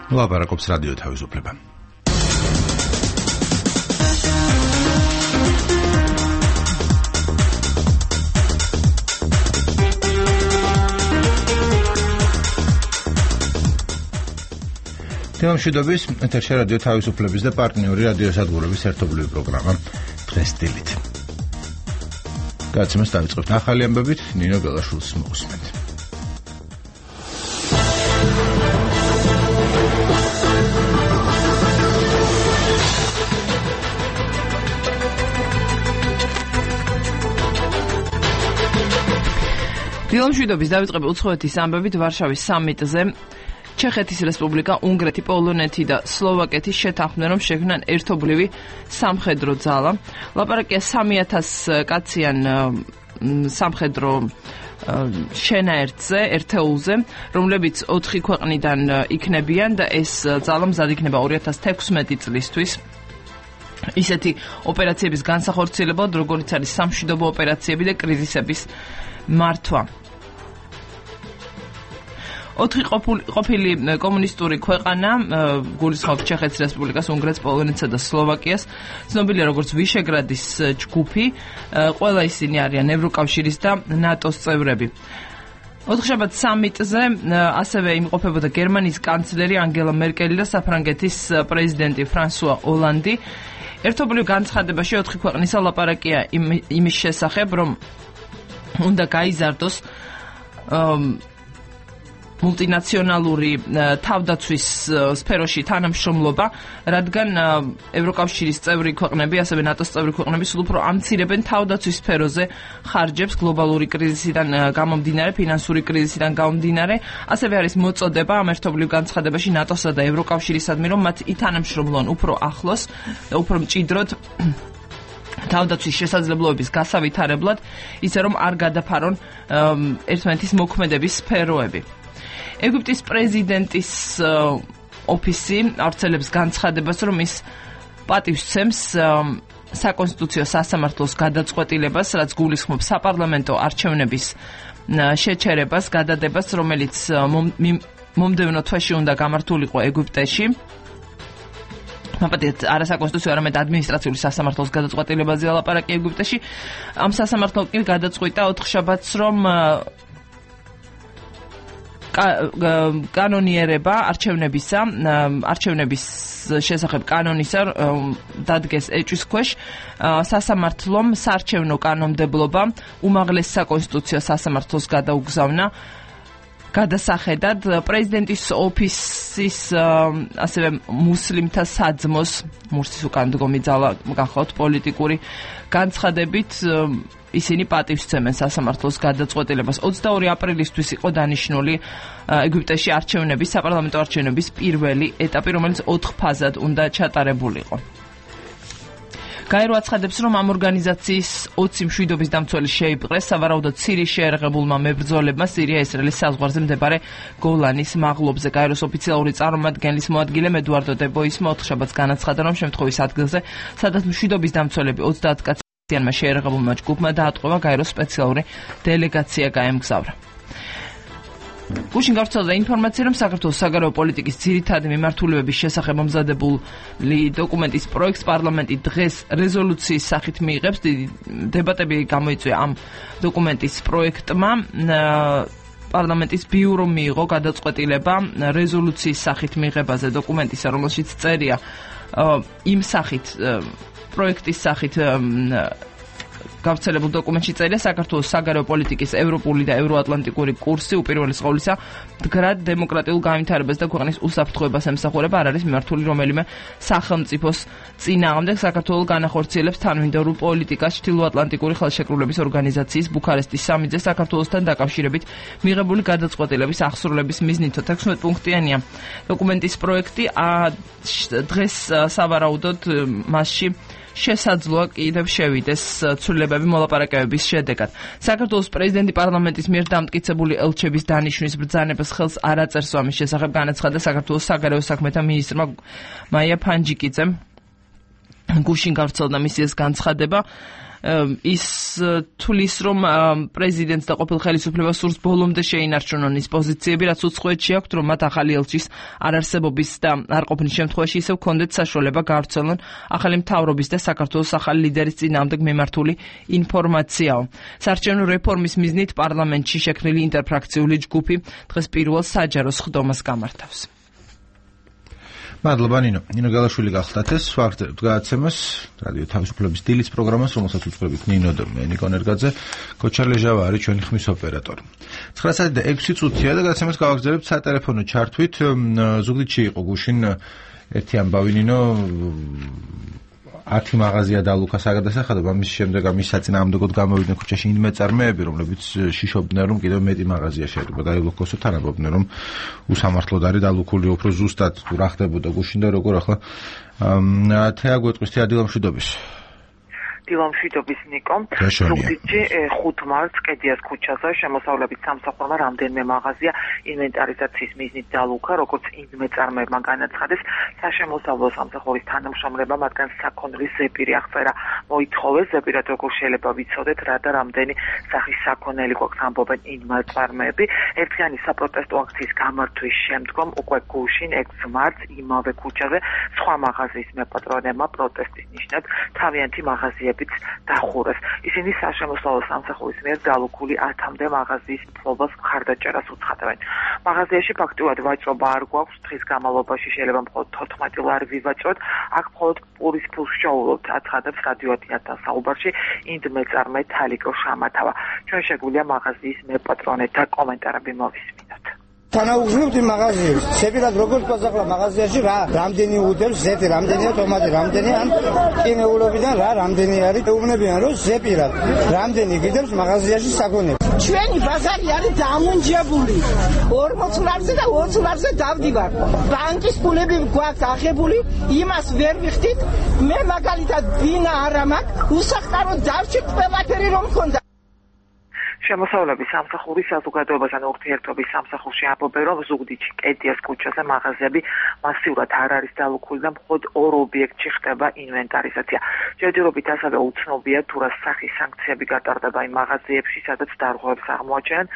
ლაპარაკობს რადიო თავისუფლება. თემამშვიდობის ეთერში რადიო თავისუფლების და პარტნიორი რადიო სადგურების ერთობლივი პროგრამა დღეს დილით. გადაცემას დავიწყებთ ახალი ამბებით, ნინო გელაშვილს მოусმენთ. დილამშვიდობის დავიწყებთ უცხოეთის ამბებით ვარშავის სამიტზე. ჩეხეთის რესპუბლიკა, უნგრეთი, პოლონეთი და სლოვაკეთი შეთანხმდნენ, რომ შექმნან ერთობლივი სამხედრო ძალა. ლაპარაკია 3000 კაციან სამხედრო შენაერთზე, ერთეულზე, რომლებიც 4 ქვეყნიდან იქნებიან და ეს ძალა მზად იქნება 2016 წლისთვის. ისეთი ოპერაციების განსახორციელებლად, როგორც არის სამშვიდობო ოპერაციები და კრიზისების მართვა. 4 ყოფილი კომუნისტური ქვეყანა, გულისხმობს ჩეხეთის რესპუბლიკას, უნგრეთს, პოლონეთსა და სლოვაკიას, ცნობილია როგორც ვიშეგრადის ჯგუფი, ყველა ისინი არიან ევროკავშირის და ნატოს წევრები. ოთხშაბათ სამიტზე ასევე იმყოფებოდა გერმანიის კანცლერი ანგელა მერკელი და საფრანგეთის პრეზიდენტი ფრანსუა ოლანდი. ერთობლივ განცხადებაში 4 ქვეყნისა ლაპარაკია იმის შესახებ, რომ უნდა გაიზარდოს მულტინაციონალური თავდაცვის სფეროში თანამშრომლობა, რადგან ევროკავშირის წევრი ქვეყნები, ასევე ნატოს წევრი ქვეყნები სულ უფრო ამცირებენ თავდაცვის სფეროზე ხარჯებს გლობალური კრიზისიდან გამომდინარე, ფინანსური კრიზისიდან გამომდინარე. ასევე არის მოწოდება ამ ერთობლივ განცხადებაში ნატოსა და ევროკავშირისადმი, რომ მათ ითანამშრომლონ უფრო ახლოს და უფრო მჭიდროდ თავდაცვის შესაძლებლობების გასავითარებლად, ისე რომ არ გადაფარონ ერთმანეთის მოქმედების სფეროები. ეგვიპტის პრეზიდენტის ოფისი ავრცელებს განცხადებას, რომ ის პატივს სცემს საკონსტიტუციო სასამართლოს გადაწყვეტილებას, რაც გულისხმობს საპარლამენტო არჩევნების შეჩერებას, გადადებას, რომელიც მომდევნო თვეში უნდა გამართულიყო ეგვიპტეში. მაპატიეთ არასაკონსტიტუციო, არამედ ადმინისტრაციული სასამართლოს გადაწყვეტილებაზე ლაპარაკი ეგვიპტეში. ამ სასამართლომ კი გადაწყვიტა ოთხშაბათს, რომ კანონიერება არჩევნების შესახებ კანონისა დადგეს ეჭვის ქვეშ. სასამართლომ საარჩევნო კანონმდებლობა უმაღლეს საკონსტიტუციო სასამართლოს გადაუგზავნა. გადასახედად პრეზიდენტის ოფისის ასევე მუსლიმთა საძმოს მურსის უკან დგომი ძალა გახავთ პოლიტიკური განცხადებით ისინი პატივს სცემენ სასამართლოს გადაწყვეტილებას. 22 აპრილისთვის იყო დანიშნული ეგვიპტეში არჩევნების, საპარლამენტო არჩევნების პირველი ეტაპი, რომელიც 4 ფაზად უნდა ჩატარებულიყო. გაერო აცხადებს, რომ ამ ორგანიზაციის 20 მშვიდობის დამცველი შეიპყრეს სავარაუდოდ სირიის შეერაღებულმა მებრძოლებმა სირია-ისრაელის საზღვარზე მდებარე გოლანის მაღლობზე. გაეროს ოფიციალური წარმომადგენლის მოადგილე ედუარდო დე ბოისმა ოთხშაბათს განაცხადა, რომ შემთხვევის ადგილზე, სადაც მშვიდობის დამცველები 30 კაციანმა შეერაღებულმა ჯგუფმა დაატყვევა, გაეროს სპეციალური დელეგაცია გაემგზავრა. გუშინ გავრცელდა ინფორმაცია, რომ საქართველოს საგარეო პოლიტიკის ძირითადი მიმართულებების შესახებ მომზადებული დოკუმენტის პროექტს პარლამენტი დღეს რეზოლუციის სახით მიიღებს. დებატები გამოიწვია ამ დოკუმენტის პროექტმა. პარლამენტის ბიურომ მიიღო გადაწყვეტილება რეზოლუციის სახით მიღებაზე დოკუმენტისა, რომელშიც წერია იმ სახით პროექტის სახით გავრცელებულ დოკუმენტში წერია საქართველოს საგარეო პოლიტიკის ევროპული და ევროატლანტიკური კურსი უპირველეს ყოვლისა მდგრად დემოკრატიულ განვითარებას და ქვეყნის უსაფრთხოებას ემსახურება, არ არის მიმართული რომელიმე სახელმწიფოს წინააღმდეგ. საქართველოს განახორციელებს თანმიმდევრულ პოლიტიკას ჩრდილოატლანტიკური ხელშეკრულების ორგანიზაციის ბუქარესტის სამიტზე საქართველოსთან დაკავშირებით მიღებული გადაწყვეტილების აღსრულების მიზნით 16 პუნქტიანია დოკუმენტის პროექტი. დღეს სავარაუდოდ მასში შესაძლოა კიდევ შევიდეს ცვლილებები მოლაპარაკებების შედეგად. საქართველოს პრეზიდენტი პარლამენტის მიერ დამტკიცებული ელჩების დანიშვნის ბრძანებას ხელს არ აწერს. ამის შესახებ განაცხადა საქართველოს საგარეო საქმეთა მინისტრმა მაია ფანჯიკიძემ. გუშინ გავრცელდა მისი ეს განცხადება. ის თulis რომ პრეზიდენტს და ყოფილ ხელისუფლებას სურს ბოლომდე შეინარჩუნონ ის პოზიციები, რაც უცხოეთში აქვთ, რომ მათ ახალი ელჩის არარსებობის და არ ყოფნის შემთხვევაში ისევ ჰქონდეთ საშუალება გავრცელონ ახალი მთავრობის და საქართველოს ახალი ლიდერის წინააღმდეგ მიმართული ინფორმაციაო. საარჩევნო რეფორმის მიზნით პარლამენტში შექმნილი ინტერფრაქციული ჯგუფი დღეს პირველ საჯარო სხდომას გამართავს. მადლობა ნინო გალაშვილი გახლდათ ეს ვაგრძელებთ გადაცემას რადიო თავისუფლების დილის პროგრამას, რომელსაც უწყობთ ნინო და მე ნიკო ნერგაძე, კოჩარლე ჟავა არის ჩვენი ხმის ოპერატორი. 9:06 და გადაცემას გავაგრძელებთ სატელეფონო ჩართვით. ზუგდიდში იყო გუშინ ერთი ამბავი ნინო 10 მაღაზია დალუქა საგადასახადო, ამის შემდეგ ამის საწინააღმდეგოდ გამოვიდნენ ქუჩაში იმ მეწარმეები, რომლებიც შიშობდნენ, რომ კიდევ მეტი მაღაზია შეიძლება დაილოქოსო, თანამდებობდნენ, რომ უსამართლოდ არის დალუქული, უფრო ზუსტად რა ხდებოდა გუშინ და როგორ ახლა თეა გვეტყვის თეა დილამშვიდობის. დილამშვიდობის ნიკო. ზუგდიდში 5 მარტს კედიას ქუჩაზე შემოსავლებით სამსახურმა რამდენიმე მაღაზია ინვენტარიზაციის მიზნით დალუქა, როგორც იმ მეწარმეებმა განაცხადეს, საშემოსავლო სამსახურის თანამშრომლებმა მათგან საქონლის ზეპირი აღწერა მოითხოვეს. ზეპირად როგორ შეიძლება ვიცოდეთ, რა და რამდენი სახის საქონელი გვაქვს, ამბობენ იმ მეწარმეები. ერთიანი საპროტესტო აქციის გამართვის შემდგომ უკვე გუშინ 6 მარტს იმავე ქუჩაზე სხვა მაღაზიის მეპატრონებმა პროტესტის ნიშნად თავიანთი მაღაზიები დახურეს. ისინი საშემოსავლო სამსახურის მიერ დალუქული 10-მდე მაღაზიის მფლობას მხარდაჭერას უცხადებენ. მაღაზიაში ფაქტიურად ვაჭრობა არ გვაქვს, დღის განმავლობაში შეიძლება მხოლოდ 14 ლარი ვივაჭროთ, აქ მხოლოდ პურის ფულს შოულობთ, აცხადებს რადიო 10-თან საუბარში ინდ მეწარმე თალიკო შამათავა. ჩვენ შეგვიძლია მაღაზიის მეპატრონეთა კომენტარები მოვისმინოთ. თანაუგზნობთ იმ მაღაზიებს. შეფერად როგორც ყაზახლა მაღაზიაში რა რამდენი უდევს ზეთი, რამდენია ტომატი, რამდენი ან კინეულობიდან რა რამდენი არის. ეუბნებიან რომ ზეპირად რამდენი გიდევს მაღაზიაში საქონლებს. ჩვენი ბაზარი არის დამუნჯებული. 40 ლარზე და 20 ლარზე დავდივარ. ბანკის ფულები გვაქვს აღებული, იმას ვერ ვიხდით. მე მაგალითად ბინა არა მაქვს, უსახკაროდ დავჭირ ყველაფერი რომ მქონდა. შემოსავლების სამსახურის საზოგადოებასთან ურთიერთობის სამსახურში ამბობენ, რომ ზუგდიდში კედიას ქუჩაზე მაღაზიები მასიურად არ არის დალუქული და მხოლოდ 2 ობიექტში ხდება ინვენტარიზაცია. ჯერჯერობით ასევე უცნობია თუ რა სახის სანქციები გატარდება იმ მაღაზიებში, სადაც დარღვევებს აღმოაჩენენ.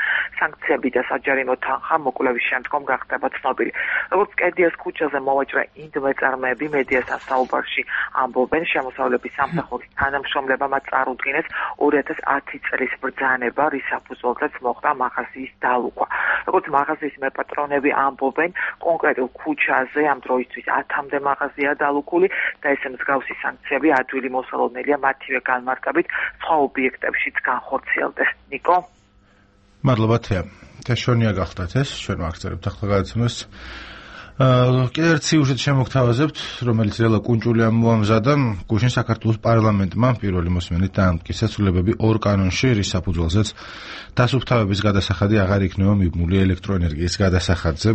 სანქციები და საჯარიმო თანხა მოკვლევის შემდგომ გახდება ცნობილი. როგორც კედიას ქუჩაზე მოვაჭრე ინდ მეწარმეები მედიასთან საუბარში ამბობენ, შემოსავლების სამსახურის თანამშრომლებმა მათ წარუდგინეს 2010 წლის ბრძანება, საფუძველზეც მოხდა მაღაზიის დალუქვა. როგორც მაღაზიის მეპატრონები ამბობენ, კონკრეტულ ქუჩაზე ამ დროისთვის 10-მდე მაღაზია დალუქული და ეს მსგავსი სანქციები ადვილი მოსალოდნელია მათივე განმარტებით სხვა ობიექტებშიც განხორციელდეს. ნიკო. მადლობა თეა. თეშონია გახდათ ეს, ჩვენ ვაგრძელებთ ახლა გადაცემას. კიდევ ერთ სიუჟეტს შემოგთავაზებთ, რომელიც რელა კუნჭული ამოამზადა. გუშინ საქართველოს პარლამენტმა პირველი მოსმენით დაამტკიცა შესრულებები 2 კანონში, რის საფუძველზეც დასუფთავების გადასახადი აღარ იქნება მიბმული ელექტროენერგიის გადასახადზე.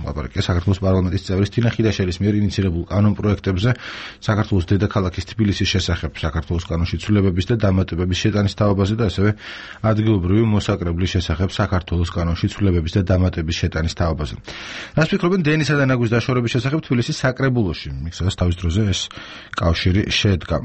ლაპარაკია საქართველოს პარლამენტის წევრის თინა ხიდაშელის მიერ ინიციირებულ კანონ პროექტებზე საქართველოს დედაქალაქის თბილისის შესახებ, საქართველოს კანონში ცვლილებების და დამატებების შეტანის თაობაზე და ასევე ადგილობრივი მოსაკრებლის შესახებ საქართველოს კანონში ცვლილებების და დამატების შეტანის თაობაზე. რას ფიქრობენ დენისა და ნაგვის დაშორების შესახებ თბილისის საკრებულოში, სადაც თავის დროზე ეს კავშირი შედგა.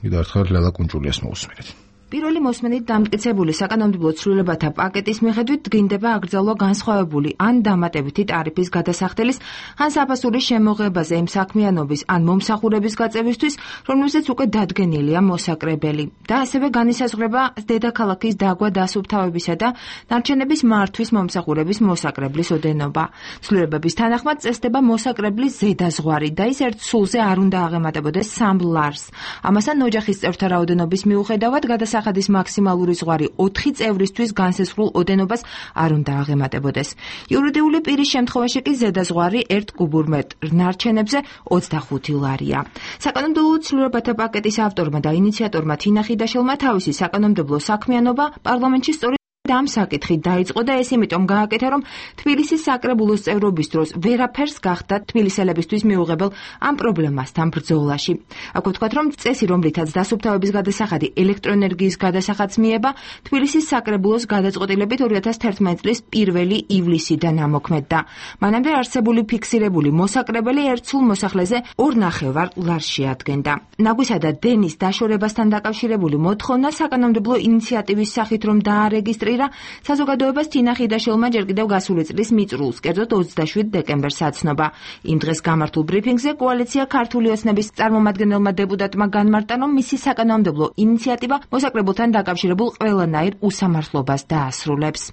კიდევ ერთხელ ლელა კუნჭულიას მოусმინეთ. პირველი მოსმენით დამტკიცებული საკანონმდებლო ცვლილებათა პაკეტის მიხედვით დგინდება აკრძალვა განსხვავებული ან დამატებითი ტარიფის გადასახდელის, ან საფასურის შემოღებაზე იმ საქმიანობის ან მომსახურების გაწევისთვის, რომელზეც უკვე დადგენილია მოსაკრებელი და ასევე განისაზღვრება დედაქალაქის დაგვა დასუფთავებისა და ნარჩენების მართვის მომსახურების მოსაკრებლის ოდენობა. ცვლილებების თანახმად წესდება მოსაკრებლის ზედაზღვარი და ის ერთ სულზე არ უნდა აღემატებოდეს 3 ლარს. ამასთან ოჯახის წევრთა რაოდენობის მიუხედავად გადასახადის მაქსიმალური ზღვარი 4 წევრისთვის განსაზღვრულ ოდენობას არ უნდა აღემატებოდეს. იურიდიული პირის შემთხვევაში კი ზედაზღვარი 1 კუბურ მეტრ ნარჩენებზე 25 ლარია. საკანონმდებლო ცვლილებათა პაკეტის ავტორმა და ინიციატორმა თინა ხიდაშელმა თავისი საკანონმდებლო საქმიანობა პარლამენტში სწორედ ამ საკითხი დაიწყო და ეს იმიტომ გააკეთა, რომ თბილისის საკრებულოს წევრობის დროს ვერაფერს გახდა თბილისელებისთვის მიუღებელ ამ პრობლემასთან ბრძოლაში. აქ ვთქვათ, რომ წესი, რომლითაც დასუფთავების გადასახადი ელექტროენერგიის გადასახადს მიება, თბილისის საკრებულოს გადაწყვეტილებით 2011 წლის 1 ივლისიდან ამოქმედდა. მანამდე არსებული ფიქსირებული მოსაკრებელი ერთ სულ მოსახლეზე 2.5 ლარს შეადგენდა. ნაგვისა და დენის დაშორებასთან დაკავშირებული მოთხოვნა საკანონმდებლო ინიციატივის სახით რომ დაარეგისტრირა საზოგადოებას თინა ხიდაშელმა ჯერ კიდევ გასული წლის მიწრულს, კერძოდ 27 დეკემბერს აცნობა. იმ დღეს გამართულ ბრიფინგზე კოალიცია ქართული ოცნების წარმომადგენელმა დეპუტატმა განმარტა, რომ მისი საკანონმდებლო ინიციატივა მოსაკრებულთან დაკავშირებულ ყველანაირ უსამართლობას დაასრულებს.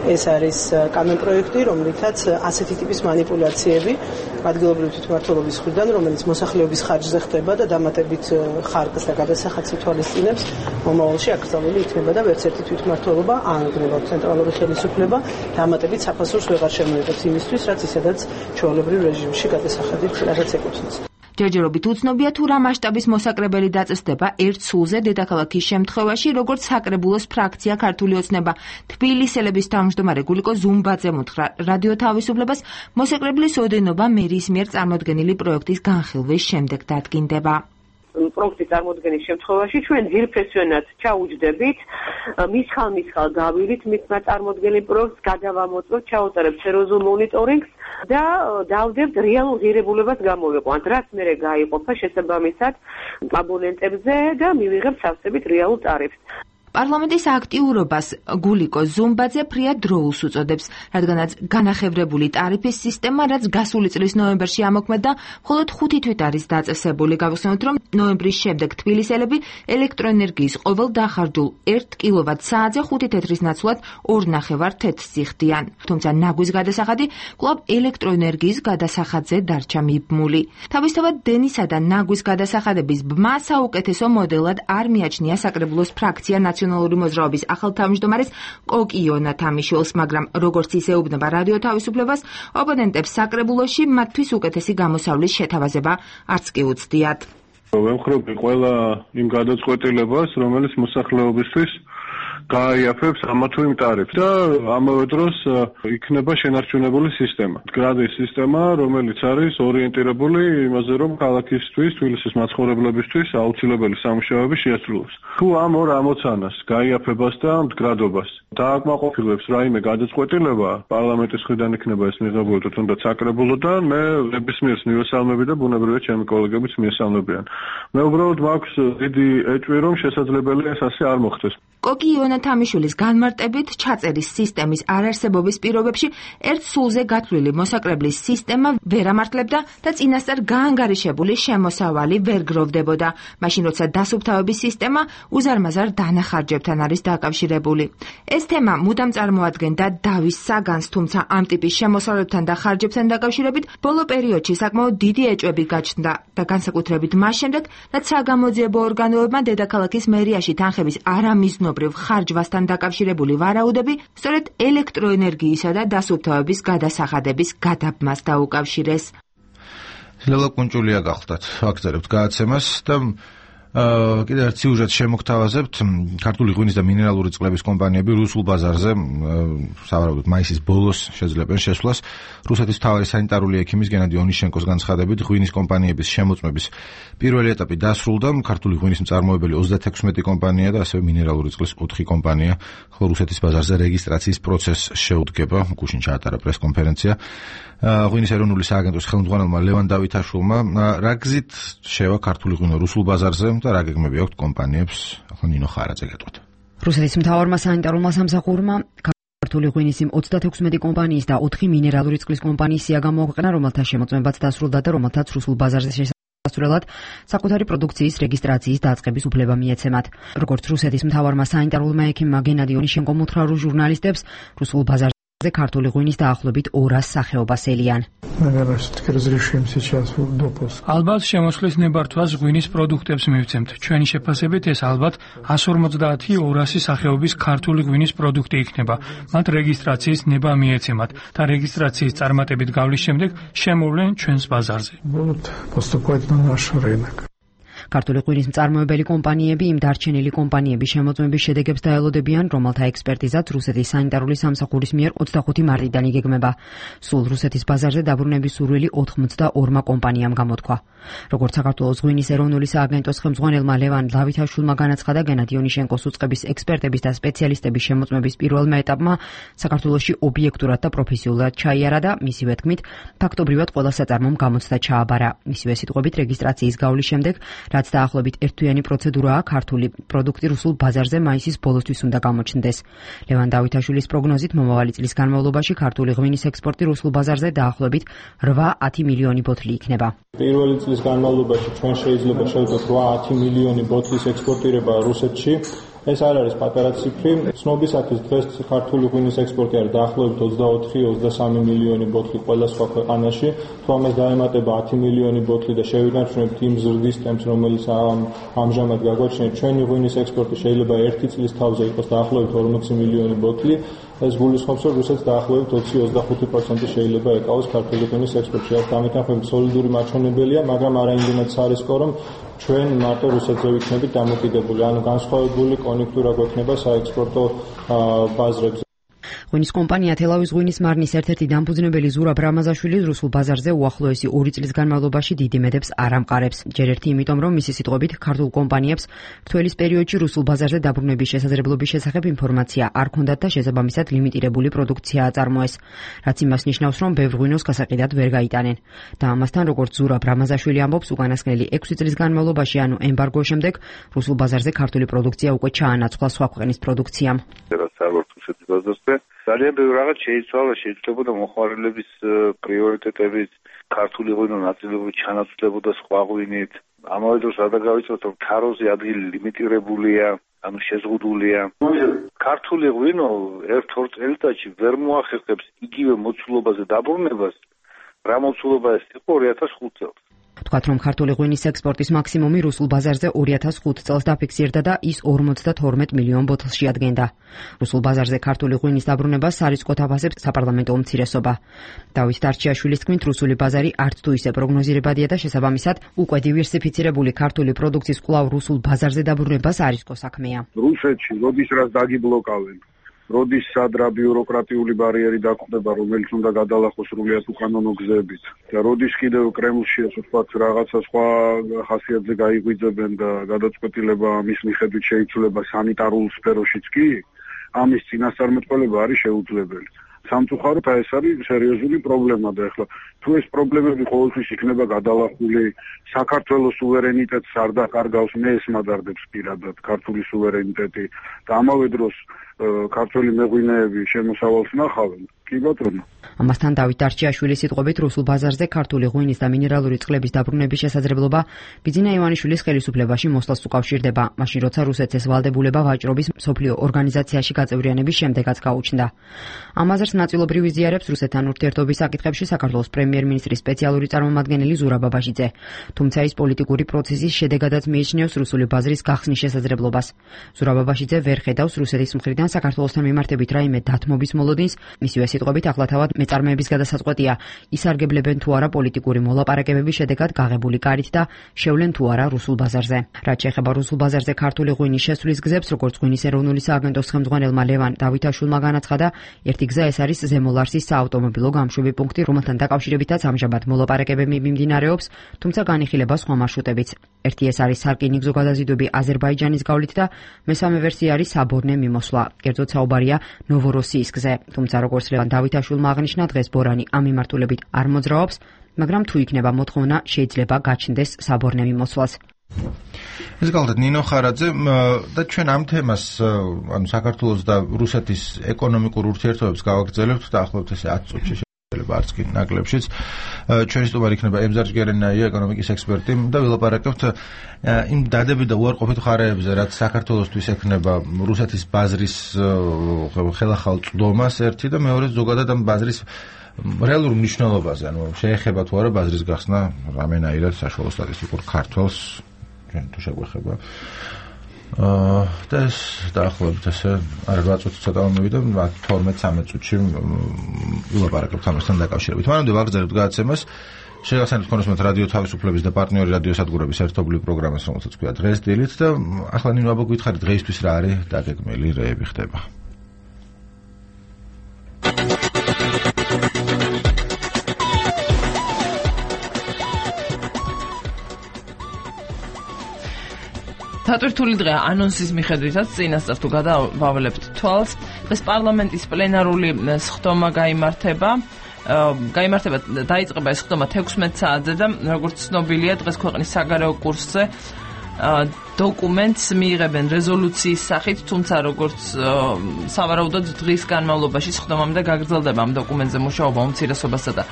ეს არის კანონპროექტი, რომლითაც ასეთი ტიპის манипуляციები ადგილობრივი თვითმმართველობის მხრიდან, რომელიც მოსახლეობის ხარჯზე ხდება და დამატებით ხარკს და გადასახადს ითვალისწინებს, მომავალში აკრძალული იქნება და ვერც ერთი თვითმმართველობა ან გნებავ ცენტრალური ხელისუფლება დამატებით საფასურს ვეღარ შემოიღებს იმისთვის, რაც ისედაც ჩვეულებრივ რეჟიმში გადასახადით რაღაც ეკუთვნის. ჯერჯერობით უცნობია თუ რა მასშტაბის მოსაკრებელი დაწესდება ერთ სულზე დედაქალაქის შემთხვევაში, როგორც საკრებულოს ფრაქცია ქართული ოცნება თბილისელების თავმჯდომარე გულიკო ზუმბაძემ უთხრა რადიო თავისუფლებას, მოსაკრებლის ოდენობა მერის მიერ წარმოდგენილი პროექტის განხილვის შემდეგ დადგინდება. პროექტის წარმოდგენის შემთხვევაში ჩვენ ძირფესვენად ჩაუჯდებით, მისხალ გავილით მისმა წარმოდგენილ პროექტს, გადავამოწმოთ, ჩაუწერებთ სერიოზულ მონიტორინგს და დავდებთ რეალურ ღირებულებას გამოვიყვანთ, რაც მერე გაიყოფა შესაბამისად აბონენტებზე და მივიღებთ სავსებით რეალურ ტარიფს. პარლამენტის აქტიურობას გულიკო ზუმბაძე ფრიად დროულს უწოდებს, რადგანაც განახევრებული ტარიფის სისტემა, რაც გასული წლის ნოემბერში ამოქმედდა, მხოლოდ 5 თვით არის დაწესებული. გავხსენოთ, რომ ნოემბრის შემდეგ თბილისელები ელექტროენერგიის ყოველ დახარჯულ 1 კილოვატ-საათზე 5 თეთრის ნაცვლად 2.5 თეთრს იხდიან. თუმცა ნაგვის გადასახადი კვლავ ელექტროენერგიის გადასახადზე დარჩა მიბმული. თავისთავად დენისა და ნაგვის გადასახადების ბმა საუკეთესო მოდელად არ მიაჩნია საკრებულოს ფრაქცია ნაციონალური მოძრაობის ახალ თავმჯდომარეს კოკიონა თამიშვილს, მაგრამ როგორც ის ეუბნება რადიო თავისუფლებას, ოპონენტებს საკრებულოში მათთვის უკეთესი გამოსავლის შეთავაზება არც კი უცდიათ. ვემხრობი ყველა იმ გადაწყვეტილებას, რომელიც მოსახლეობისთვის გაიაფებს ამა თუ იმ ტარიფს და ამავე დროს იქნება შენარჩუნებული სისტემა. გრადის სისტემა, რომელიც არის ორიენტირებული იმაზე, რომ ქალაქისთვის, თბილისის მაცხოვრებლებისთვის აუცილებელი სამუშაოები შეასრულოს. თუ ამ ორ ამოცანას, გაიაფებას და მდგრადობას დააკმაყოფილებს რაიმე გადაწყვეტილება, პარლამენტის მხრიდან იქნება ეს მიღებული თუნდაც საკრებულოდან, მე ნებისმიერს მივესალმები და ბუნებრივია ჩემი კოლეგებიც მიესალმებიან. მე უბრალოდ მაქვს დიდი ეჭვი, რომ შესაძლებელია ეს ასე არ მოხდეს. კოკიონა თამიშვილის განმარტებით ჩაწერის სისტემის არარსებობის პირობებში ერთ სულზე გათვლილი მოსაკრებლის სისტემა ვერ ამართლებდა და წინასწარ გაანგარიშებული შემოსავალი ვერ გროვდებოდა, მაშინ როცა დასუფთავების სისტემა უზარმაზარ დანახარჯებთან არის დაკავშირებული. ეს თემა მუდამ წარმოადგენდა დავის საგანს, თუმცა ამ ტიპის შემოსავლებთან და ხარჯებთან დაკავშირებით ბოლო პერიოდში საკმაოდ დიდი ეჭვები გაჩნდა და განსაკუთრებით მას შემდეგ, რაც საგამოძიებო ორგანოებმა დედაქალაქის მერიაში თანხების არამიზნობრივ ხარჯვასთან დაკავშირებული ვარაუდები სწორედ ელექტროენერგიისა და დასუფთავების გადასახადების გადაბმას დაუკავშირეს. ლელა კუნჭულია გახლდათ, ვაგზავნებთ გადაცემას და კიდევ ერთ სიუჟეტს შემოგთავაზებთ. ქართული ღვინის და მინერალური წყლების კომპანიები რუსულ ბაზარზე სავარაუდოდ მაისის ბოლოს შეძლებენ შესვლას. რუსეთის მთავარი სანიტარული ექიმის გენადი ონიშენკოს განცხადებით, ღვინის კომპანიების შემოწმების პირველი ეტაპი დასრულდა. ქართული ღვინის მწარმოებელი 36 კომპანია და ასევე მინერალური წყლის 4 კომპანია, ხოლო რუსეთის ბაზარზე რეგისტრაციის პროცესს შეუდგება. გუშინ ჩაატარა პრესკონფერენცია ღვინის ეროვნული სააგენტოს ხელმძღვანელმა ლევან დავითაშვილმა. რა გზით შევა ქართული ღვინო რუსულ ბაზარზე და რა გეგმები აქვთ კომპანიებს? ახლა ნინო ხარაძე გეტყვით. რუსეთის მთავარმა სანიტარულმა სამსახურმა ქართული ღვინის იმ 36 კომპანიის და 4 მინერალური წყლის კომპანიის სია გამოაქვეყნა, რომელთა შემოწმებაც დასრულდა და რომელთაც რუსულ ბაზარზე შესასვლელად საკუთარი პროდუქციის რეგისტრაციის დაწყების უფლება მიეცემათ. როგორც რუსეთის მთავარმა სანიტარულმა ექიმმა გენადი ონიშენკომ უთხრა ჟურნალისტებს, რუსულ ბაზარზე ქართული ღვინის დაახლოებით 200 სახეობას ელიან. ალბათ შემოსვლის ნებართვას ღვინის პროდუქტებს მივცემთ. ჩვენი შეფასებით ეს ალბათ 150-200 სახეობის ქართული ღვინის პროდუქტი იქნება. მათ რეგისტრაციის ნება მიეცემათ და რეგისტრაციის წარმატებით გავლის შემდეგ შემოვლენ ჩვენს ბაზარზე. ქართული ღვინის მწარმოებელი კომპანიები იმ დარჩენილი კომპანიების შემოწმების შედეგებს დაელოდებიან, რომელთა ექსპერტიზაც რუსეთის სანიტარული სამსახურის მიერ 25 მარტიდან იგეგმება. სულ რუსეთის ბაზარზე დაბრუნების სურვილი 82 კომპანიამ გამოთქვა. როგორც საქართველოს ღვინის ეროვნული სააგენტოს ხელმძღვანელმა ლევან დავითაშვილმა განაცხადა, გენადი ონიშენკოს უწყების ექსპერტების და სპეციალისტების შემოწმების პირველმა ეტაპმა საქართველოში ობიექტურად და პროფესიულად ჩაიარა და მისივე თქმით, ფაქტობრივად ყველა საწარმომ გამოცდა ჩააბარა. მისივე სიტყვებით, რეგისტრაციის გავლის შემდეგ, რაც დაახლოებით ერთთვიანი პროცედურაა, ქართული პროდუქტი რუსულ ბაზარზე მაისის ბოლოსთვის უნდა გამოჩნდეს. ლევან დავითაშვილის პროგნოზით, მომავალი წლის განმავლობაში ქართული ღვინის ექსპორტი რუსულ ბაზარზე დაახლოებით 8-10 მილიონი ბოთლი იქნება. პირველი წლის განმავლობაში ჩვენ შეიძლება შევძლოთ 8-10 მილიონი ბოთლის ექსპორტირება რუსეთში. ეს არ არის პატარა ციფრი. ცნობისათვის დღეს ქართული ღვინის ექსპორტი არის დაახლოებით 24-23 მილიონი ბოთლი ყველა სხვა ქვეყანაში. თუ ამას დაემატება 10 მილიონი ბოთლი და შევინარჩუნებთ იმ ზრდის ტემპს, რომელიც ამჟამად გაგვაჩნია, ჩვენი ღვინის ექსპორტი შეიძლება ერთი წლის თავზე იყოს დაახლოებით 40 მილიონი ბოთლი. ეს გულისხმობს, რომ რუსეთს დაახლოებით 20-25% შეიძლება ეკავოს ქართული ღვინის ექსპორტში. ამიტომ სოლიდური მაჩვენებელია, მაგრამ არა იმდენად სარისკო, რომ ჩვენ მარტო რუსეთზე ვიქნებით დამოკიდებული, ანუ განსხვავებული კონjunktūra გვექნება საექსპორტო ბაზრებზე. ღვინის კომპანია თელავის ღვინის მარნის ერთ-ერთი დამფუძნებელი ზურაბ რამაზაშვილი რუსულ ბაზარზე უახლოესი 2 წლის განმავლობაში დიდი მედებს არ ამყარებს. ჯერ ერთი იმიტომ, რომ მისი სიტყვებით ქართულ კომპანიებს რთველის პერიოდში რუსულ ბაზარზე დაბრუნების შესაძლებლობის შესახებ ინფორმაცია არ ჰქონდათ და შესაბამისად ლიმიტირებული პროდუქცია აწარმოეს, რაც იმას ნიშნავს, რომ ბევრ ღვინოს გასაყიდად ვერ გაიტანენ. და ამასთან, როგორც ზურაბ რამაზაშვილი ამბობს, უკანასკნელი 6 წლის განმავლობაში, ანუ ემბარგოს შემდეგ, რუსულ ბაზარზე ქართული პროდუქცია უკვე ჩაანაცვლა სხვა ქვეყნის პროდუქციამ. ძალიან ბევრი რაღაც შეიცვალა, შეიძლებოდა მოხმარებლების პრიორიტეტების, ქართული ღვინო ნაწილობრივ ჩანაცვლებოდა სხვა ღვინით. ამავე დროს არ დაგავიწყოთ, რომ თაროზე ადგილი ლიმიტირებულია, ანუ შეზღუდულია. ქართული ღვინო 1-2 წელიწადში ვერ მოახერხებს იგივე მოცულობაზე დაბრუნებას, რა მოცულობა ეს იყო 2005 წელს. თქვათ, რომ ქართული ღვინის ექსპორტის მაქსიმუმი რუსულ ბაზარზე 2005 წელს დაფიქსირდა და ის 52 მილიონ ბოთლს შეადგენდა. რუსულ ბაზარზე ქართული ღვინის დაბრუნებას სარისკოდ აფასებს საპარლამენტო უმცირესობა. დავით დარჩიაშვილის თქმით, რუსული ბაზარი არც თუ ისე პროგნოზირებადია და შესაბამისად უკვე დივერსიფიცირებული ქართული პროდუქციის კვლავ რუსულ ბაზარზე დაბრუნება სარისკო საქმეა. რუსეთში როდის რაც დაგიბლოკავენ, როდის სადრა ბიუროკრატიული ბარიერი დაგვხდება, რომელიც უნდა გადალახოს სრულიად უკანონო გზებით და როდის კიდევ კრემლში ასე ვთქვათ რაღაცა სხვა ხასიათზე გაიღვიძებენ და გადაწყვეტილება ამის მიხედვით შეიცვლება სანიტარულ სფეროშიც კი, ამის წინასწარმეტყველება არის შეუძლებელი. სამწუხაროდ ეს არის სერიოზული პრობლემა და ეხლა თუ ეს პრობლემები ყოველთვის იქნება გადალახული, საქართველოს სუვერენიტეტს არ დაკარგავს, მე ეს მადარდებს პირადად ქართული სუვერენიტეტი და ამავე დროს ქართული მეღვინეები შემოსავალს ნახავენ. კი ბატონო. ამასთან დავით დარჩიაშვილის სიტყვებით რუსულ ბაზარზე ქართული ღვინის და მინერალური წყლების დაბრუნების შესაძლებლობა ბიძინა ივანიშვილის ხელისუფლებაში მოსვლას უკავშირდება, მაშინ როცა რუსეთს ეს ვალდებულება ვაჭრობის მსოფლიო ორგანიზაციაში გაწევრიანების შემდეგაც გაუჩნდა. ამაზრს ნაწილობრივ იზიარებს რუსეთთან ურთიერთობის საკითხებში საქართველოს პრემიერ-მინისტრის სპეციალური წარმომადგენელი ზურაბ აბაშიძე. თუმცა ის პოლიტიკური პროცესის შედეგადაც მიიჩნევს რუსული ბაზრის გახსნის შესაძლებლობას. ზურაბ აბაშიძე ვერ ხედავს რუსეთის მხრიდან საქართველოსთან მიმართებით რაიმე დათმობის მოლოდინს, მისივე სიტყვებით ახლა თავად მეწარმეების გადასაწყვეტია, ისარგებლებენ თუ არა პოლიტიკური მოლაპარაკებების შედეგად გაღებული კარით და შევლენ თუ არა რუსულ ბაზარზე. რაც შეეხება რუსულ ბაზარზე ქართული ღვინის შესვლის გზებს, როგორც ღვინის ეროვნული სააგენტოს ხელმძღვანელმა ლევან დავითაშვილმა განაცხადა, ერთი გზა ეს არის ზემოლარსის საავტომობილო გამშვები პუნქტი, რომელთან დაკავშირებითაც ამჟამად მოლაპარაკებები მიმდინარეობს, თუმცა განიხილება სხვა მარშრუტებიც. ერთი ეს არის სარკინიგზო გადაზიდვები აზერბაიჯანის გავლით და მესამე ვერსია არის საბორნე მიმოსვლა. კერძოდ საუბარია ნოვოროსიის გზაზე. თუმცა როგორც ლევან დავითაშვილმა აღნიშნა, დღეს ბორანი ამ მიმართულებით არ მოძრაობს, მაგრამ თუ იქნება მოთხოვნა, შეიძლება გაჩნდეს საბორნე მიმოსვლას. ეს გახლდათ ნინო ხარაძე და ჩვენ ამ თემას, ანუ საქართველოს და რუსეთის ეკონომიკურ ურთიერთობებს გავაგრძელებთ დაახლოებით ესე 10 წუთში შეიძლება არც კი ნაკლებშიც. ჩვენი სტუმარი იქნება ემზარ ჯგერენაია, ეკონომიკის ექსპერტი და ვილაპარაკებთ იმ დადებით და უარყოფით მხარეებზე, რაც საქართველოსთვის ექნება რუსეთის ბაზრის ხელახალ წვდომას ერთი და მეორე ზოგადად ამ ბაზრის რეალურ მნიშვნელობაზე, ანუ შეეხება თუ არა ბაზრის გახსნა რამენაირად საშუალო სტატისტიკურ ქართველს, ჩვენ თუ შეგვეხება. და ეს დაახლოებით ესე 8 წუთი ცოტა მომივიდა 12-13 წუთში ვილაპარაკებთ ამასთან დაკავშირებით. მანამდე ვაგრძელებთ გადაცემას. შეგახსენებთ ქონოსმოთ რადიო თავისუფლების და პარტნიორი რადიოსადგურების ერთობლივ პროგრამას, რომელსაც ქვია დღეს დილით და ახლა ნინო აბა გითხარით დღეისთვის რა არის დაგეგმილი რეები ხდება. დატვირთული დღე ანონსის მიხედვითაც წინასწარ თუ გადავავალებთ თვალს, დღეს პარლამენტის პლენარული სხდომა დაიწყება ეს სხდომა 16 საათზე და როგორც ცნობილია, დღეს ქვეყნის საგარეო კურსზე დოკუმენტს მიიღებენ რეზოლუციის სახით, თუმცა როგორც სავარაუდოდ დღის განმავლობაში სხდომამდე გაგრძელდება ამ დოკუმენტზე მუშაობა უმცირესობასა და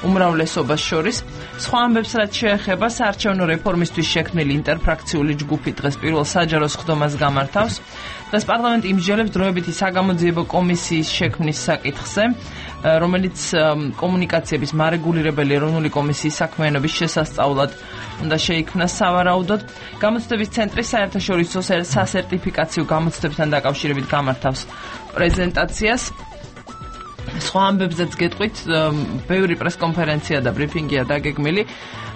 უმრავლესობას შორის. სხვა ამბებს რაც შეეხება საარჩევნო რეფორმისთვის შექმნილი ინტერფრაქციული ჯგუფი დღეს პირველ საჯარო სხდომას გამართავს. დღეს პარლამენტი იმსჯელებს დროებითი საგამოძიებო კომისიის შექმნის საკითხზე, რომელიც კომუნიკაციების მარეგულირებელი ეროვნული კომისიის საქმიანობის შესასწავლად უნდა შეიქმნას სავარაუდოდ. გამოცდების ცენტრი საერთაშორისო სასერტიფიკაციო გამოცდებთან დაკავშირებით გამართავს პრეზენტაციას. სხვა ამბებზეც გეტყვით, ბევრი პრესკონფერენცია და ბრიფინგია დაგეგმილი.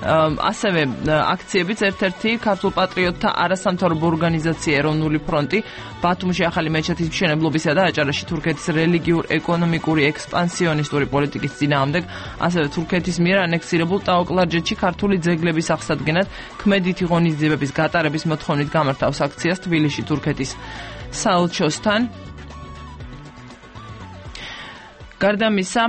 ასევე აქციებიც ერთ-ერთი ქართულ პატრიოტთა არასამთავრობო ორგანიზაცია ეროვნული ფრონტი ბათუმში ახალი მეჩეთის მშენებლობისა და აჭარაში თურქეთის რელიგიურ-ეკონომიკური ექსპანსიონისტური პოლიტიკის წინააღმდეგ, ასევე თურქეთის მიერ ანექსირებულ ტაო-კლარჯეთში ქართული ძეგლების აღსადგენად ქმედითი ღონისძიებების გატარების მოთხოვნით გამართავს აქციას თბილისში თურქეთის საელჩოსთან. გარდა ამისა,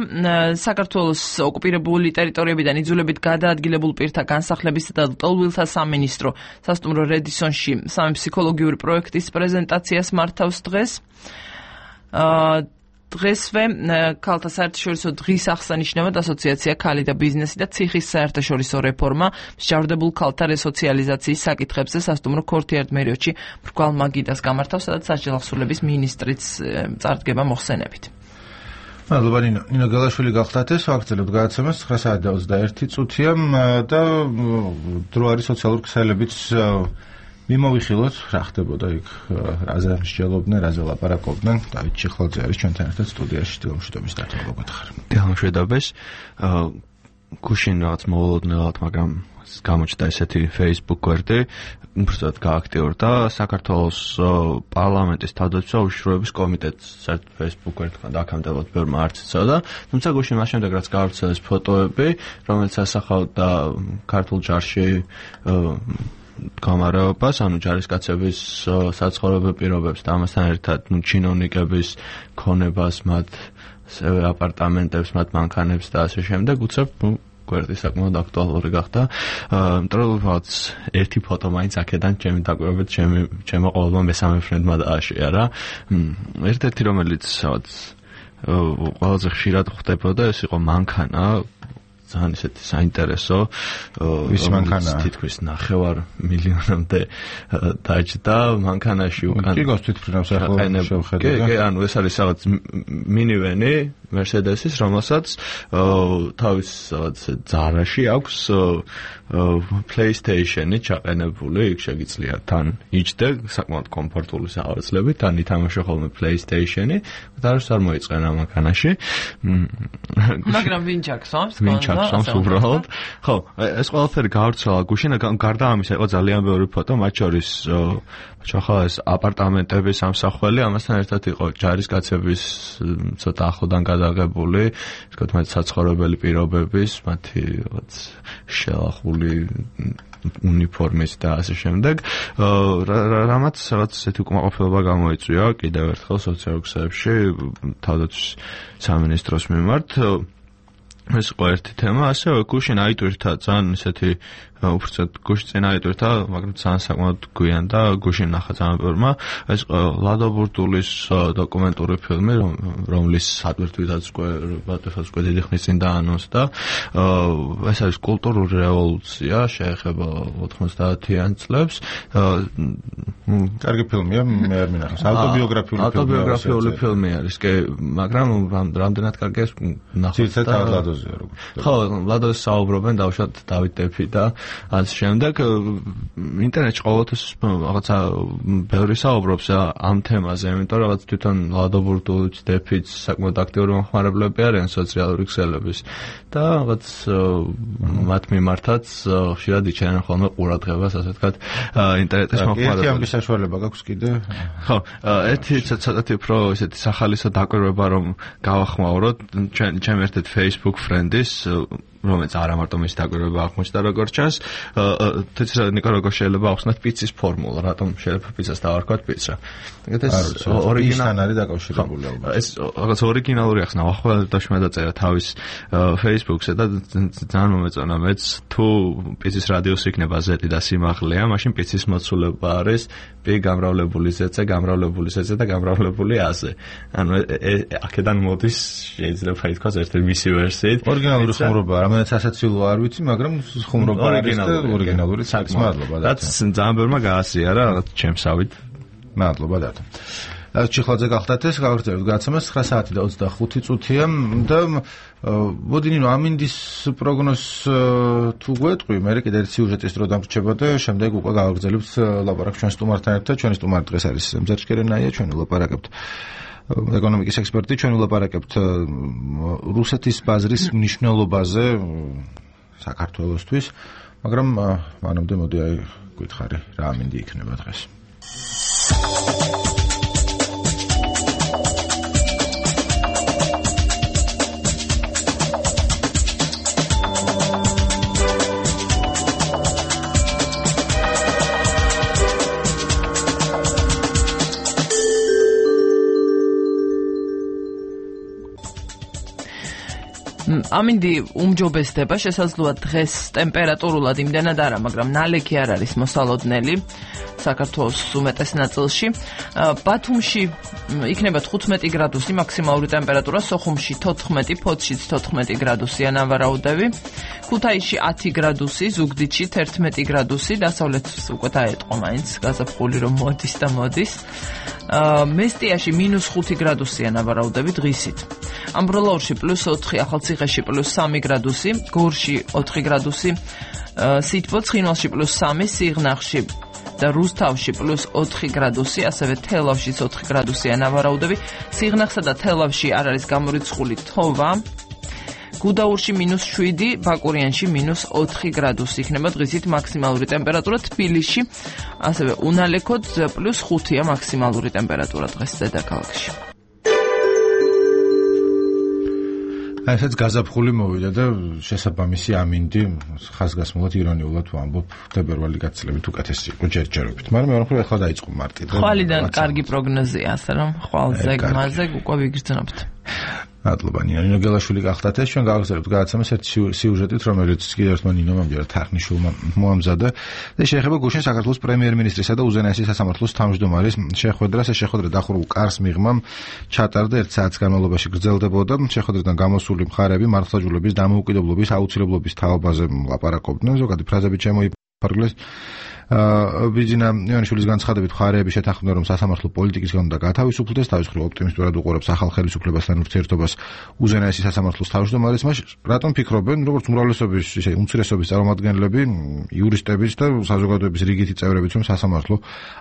საქართველოს ოკუპირებული ტერიტორიებიდან იძულებით გადაადგილებულ პირთა განსახლებისა და ლტოლვილთა სამინისტრო სასტუმრო რედისონში სამი ფსიქოლოგიური პროექტის პრეზენტაციას მართავს დღეს. დღესვე ქალთა საერთაშორისო დღის აღსანიშნავად ასოციაცია ქალი და ბიზნესი და ციხის საერთაშორისო რეფორმა მსჯავრდებულ ქალთა რესოციალიზაციის საკითხებზე სასტუმრო ქორთიარდ მერიოდში მრგვალ მაგიდას გამართავს, სადაც საჯელახსურლების მინისტრიც წარდგება მოხსენებით. მადლობა ნინო გელაშვილი გახლდათ ეს ვაგრძელებთ გადაცემას 9:21 და დრო არის სოციალური ქსელებიც მიმოვიხილოთ რა ხდებოდა იქ რაზე მსჯელობდნენ, რაზე ლაპარაკობდნენ. დავით ჩიხლაძე არის ჩვენთან ერთად სტუდიაში. დილამშვიდობის დათო მოგეთახარ. დილამშვიდობის. გუშინ რაღაც მოულოდნელად, მაგრამ გამოჩნდა ესეთი Facebook გვერდი, უბრალოდ გააქტიურდა საქართველოს პარლამენტის თავდაცვის უშუალოების კომიტეტს საერთოდ Facebook გვერდთან დაკავშირებით ბევრმა არც იცოდა, თუმცა გუშინ მას შემდეგ რაც გავრცელეს ფოტოები, რომელიც ასახავდა ქართულ ჯარში გამარაობას, ანუ ჯარისკაცების საცხოვრებელ პირობებს და ამასთან ერთად ჩინოვნიკების ქონებას, მათ აპარტამენტებს, მათ მანქანებს და ასე შემდეგ, უცებ გვერდი საკმაოდ აქტუალური გახდა. მტროლაც ერთი ფოტო მაინც აქედან ჩემი დაკვირვებით ჩემო ყოველდღიურ მესამე ფრენდმა დააშია რა. ერთ-ერთი რომელიც ყველაზე ხშირად ხდებოდა, ეს იყო მანქანა, ძალიან ისეთი საინტერესო, ვის მანქანა? თითქმის 9 მილიონამდე დაჯდა მანქანაში უკან. კი გასთვითფრინავს ახლა შევხედე. კი, ანუ ეს არის რაღაც მინივენი Mercedes-ის, რომელსაც თავის ძარაში აქვს PlayStation-ი ჩაყენებული, იქ შეგიძლია თან იჯდე, საკმაოდ კომფორტული სავარძლებით, თან ითამაშო ხოლმე PlayStation-ი, და არ მოიწყენა მანქანაში. მაგრამ ვინ ჩაქსვამს? ვინ ჩაქსვამს უბრალოდ? ხო, ეს ყველაფერი გავრცელა გუშინ, გარდა ამისა იყო ძალიან ბევრი ფოტო, მათ შორის ჩახალეს აპარტამენტების სამსახველი, ამასთან ერთად იყო ჯარისკაცების ცოტა ახლოდან გადაღებული, ისე თქვა საცხოვრებელი პირობების, მათი შელახული უნიფორმის და ასე შემდეგ. რამაც რაღაც ესეთი უკმაყოფილება გამოიწვია კიდევ ერთხელ სოციალურ ქსელებში თავდაცვის სამინისტროს მიმართ. ეს იყო ერთი თემა, ასევე გუშინ აიტვირთა ძალიან ისეთი უბრალოდ გუშინ წინ აიტვირთა, მაგრამ ძალიან საკმაოდ გვიან და გუშინ ნახა ძალიან ბევრმა, ეს ლადო ბურტულის დოკუმენტური ფილმი, რომლის ატვირთვითაც უკვე დიდი ხნის წინ დაანონსდა. ეს არის კულტურული რევოლუცია, შეეხება 90-იან წლებს. კარგი ფილმია, მე არ მინახავს. ავტობიოგრაფიული ფილმი არის, კი, მაგრამ რამდენად კარგია ნახოთ. ცირცეთ ლადოზია როგორც. ხო, ლადოს საუბრობენ დავუშვათ დავით ტეფი და ამის შემდეგ ინტერნეტში ყოველთვის რაღაცა ბევრი საუბრობს ამ თემაზე, იმიტომ რომ რაღაც თვითონ ლადო ბურდულიც, დეფიც საკმაოდ აქტიური მომხმარებლები არიან სოციალური ქსელების და რაღაც მათ მიმართაც ხშირად იჩენენ ხოლმე ყურადღებას, ასე ვთქვათ, ინტერნეტის მომხმარებლებს. ერთი ამის საშუალება გაქვს კიდე? ხო, ერთი ცოტათი უფრო ესეთი სახალისო დაკვირვება რომ გავახმაუროთ, ჩემ ერთ-ერთ Facebook friend-ის რომელიც არა მარტო მის დაკვირვება აღმოჩნდა როგორც ჩანს, თეცრა ნიკო როგორ შეიძლება ახსნათ პიცის ფორმულა, რატომ შეიძლება პიცას დავარქვათ პიცა. ეს ორიგინალი არის დაკავშირებული ალბათ. ეს რაღაც ორიგინალური ახსნა, ახლა დაშმა დაწერა თავის Facebook-ზე და ძალიან მომეწონა მეც, თუ პიცის რადიუსი იქნება Z და სიმაღლეა, მაშინ პიცის მოცულება არის P გამრავლებული Z-ზე, გამრავლებული Z-ზე და გამრავლებული A-ზე. ანუ აქედან მოდის შეიძლება ითქვას ერთ-ერთი მისი ვერსიით. ორიგინალური ხუმრობა რომელიც ასაცილო არ ვიცი, მაგრამ ხუმრობა არის და ორიგინალური საკმაოდ. მადლობა და ძალიან ბევრმა გაასიარა რაღაც ჩემსავით. მადლობა და ჩიხლაძე გახდათ ეს გავაგრძელებთ გადაცემას 9 საათი და 25 წუთია და მოდინინო ამინდის პროგნოზს თუ გვეტყვი, მე კიდე ერთ სიუჟეტის დრო დამრჩება და შემდეგ უკვე გავაგრძელებთ ლაპარაკს ჩვენ სტუმართან ერთად. ჩვენი სტუმარი დღეს არის მზარჩკერენაია, ჩვენ ვლაპარაკებთ ეკონომიკის ექსპერტი, ჩვენ ვლაპარაკებთ რუსეთის ბაზრის მნიშვნელობაზე საქართველოსთვის, მაგრამ მანამდე მოდი აი გითხარი რა ამინდი იქნება დღეს. ამინდი უმჯობესდება, შესაძლოა დღეს ტემპერატურულად იმდენად არა, მაგრამ ნალექი არ არის მოსალოდნელი საქართველოს უმეტეს ნაწილში. ბათუმში იქნება 15 გრადუსი მაქსიმალური ტემპერატურა, სოხუმში 14, ფოთშიც 14 გრადუსია ნავარაუდები, ქუთაისში 10 გრადუსი, ზუგდიდში 11 გრადუსი, დასავლეთს უკვე დაეტყო მაინც გაზაფხული რომ მოდის და მოდის. მესტიაში -5 გრადუსია ნავარაუდები დღისით. ამბროლაურში +4, ახალციხეში +3 გრადუსი, გორში 4 გრადუსი, სითბო ცხინვალში +3, სიღნაღში და რუსთავში +4 გრადუსი, ასევე თელავშიც 4 გრადუსია ნავარაუდები. სიღნაღსა და თელავში არ არის გამორიცხული თოვა. გუდაურში -7, ბაკურიანში -4 გრადუსი იქნება დღისით მაქსიმალური ტემპერატურა. თბილისში ასევე უნალექოდ +5-ია მაქსიმალური ტემპერატურა დღეს დედაქალაქში. ასაც გაზაფხული მოვიდა და შესაბამისი ამინდი ხაზგასმულად ირონიულად ვამბობ თებერვალი გაცილებით უკეთესი იყო ჯერჯერობით, მაგრამ მეორე მხრივ ახლა დაიწყო მარტი და ხვალიდან კარგი პროგნოზია, ასე რომ ხვალზე გმაზე უკვე ვიგრძნობთ. მადლობა ნინო გელაშვილი გახდათ ეს ჩვენ გავაგზავნებთ გადაცემას ერთ სიუჟეტით, რომელიც კიდევ ერთმა ნინომ ამჯერად თარხნიშვილმა მოამზადა და შეეხება გუშინ საქართველოს პრემიერ-მინისტრისა და უზენაესი სასამართლოს თავმჯდომარის შეხვედრას. ეს შეხვედრა დახურულ კარს მიღმამ ჩატარდა 1 საათის განმავლობაში გრძელდებოდა. შეხვედრიდან გამოსული მხარეები მართლმსაჯულების დამოუკიდებლობის აუცილებლობის თაობაზე ლაპარაკობდნენ. ზოგადი ფრაზები შემოიფარგლეს. ბიძინა ივანიშვილის განცხადებით მხარეები შეთანხმდნენ, რომ სასამართლო პოლიტიკისგან უნდა გათავისუფლდეს, თავის მხრივ ოპტიმისტურად უყურებს ახალ ხელისუფლებასთან ურთიერთობას უზენაესი სასამართლოს თავმჯდომარის. რატომ ფიქრობენ, როგორც უმრავლესობის ისე უმცირესობის წარმომადგენლები, იურისტებიც და საზოგადოების რიგითი წევრებიც, რომ სასამართლო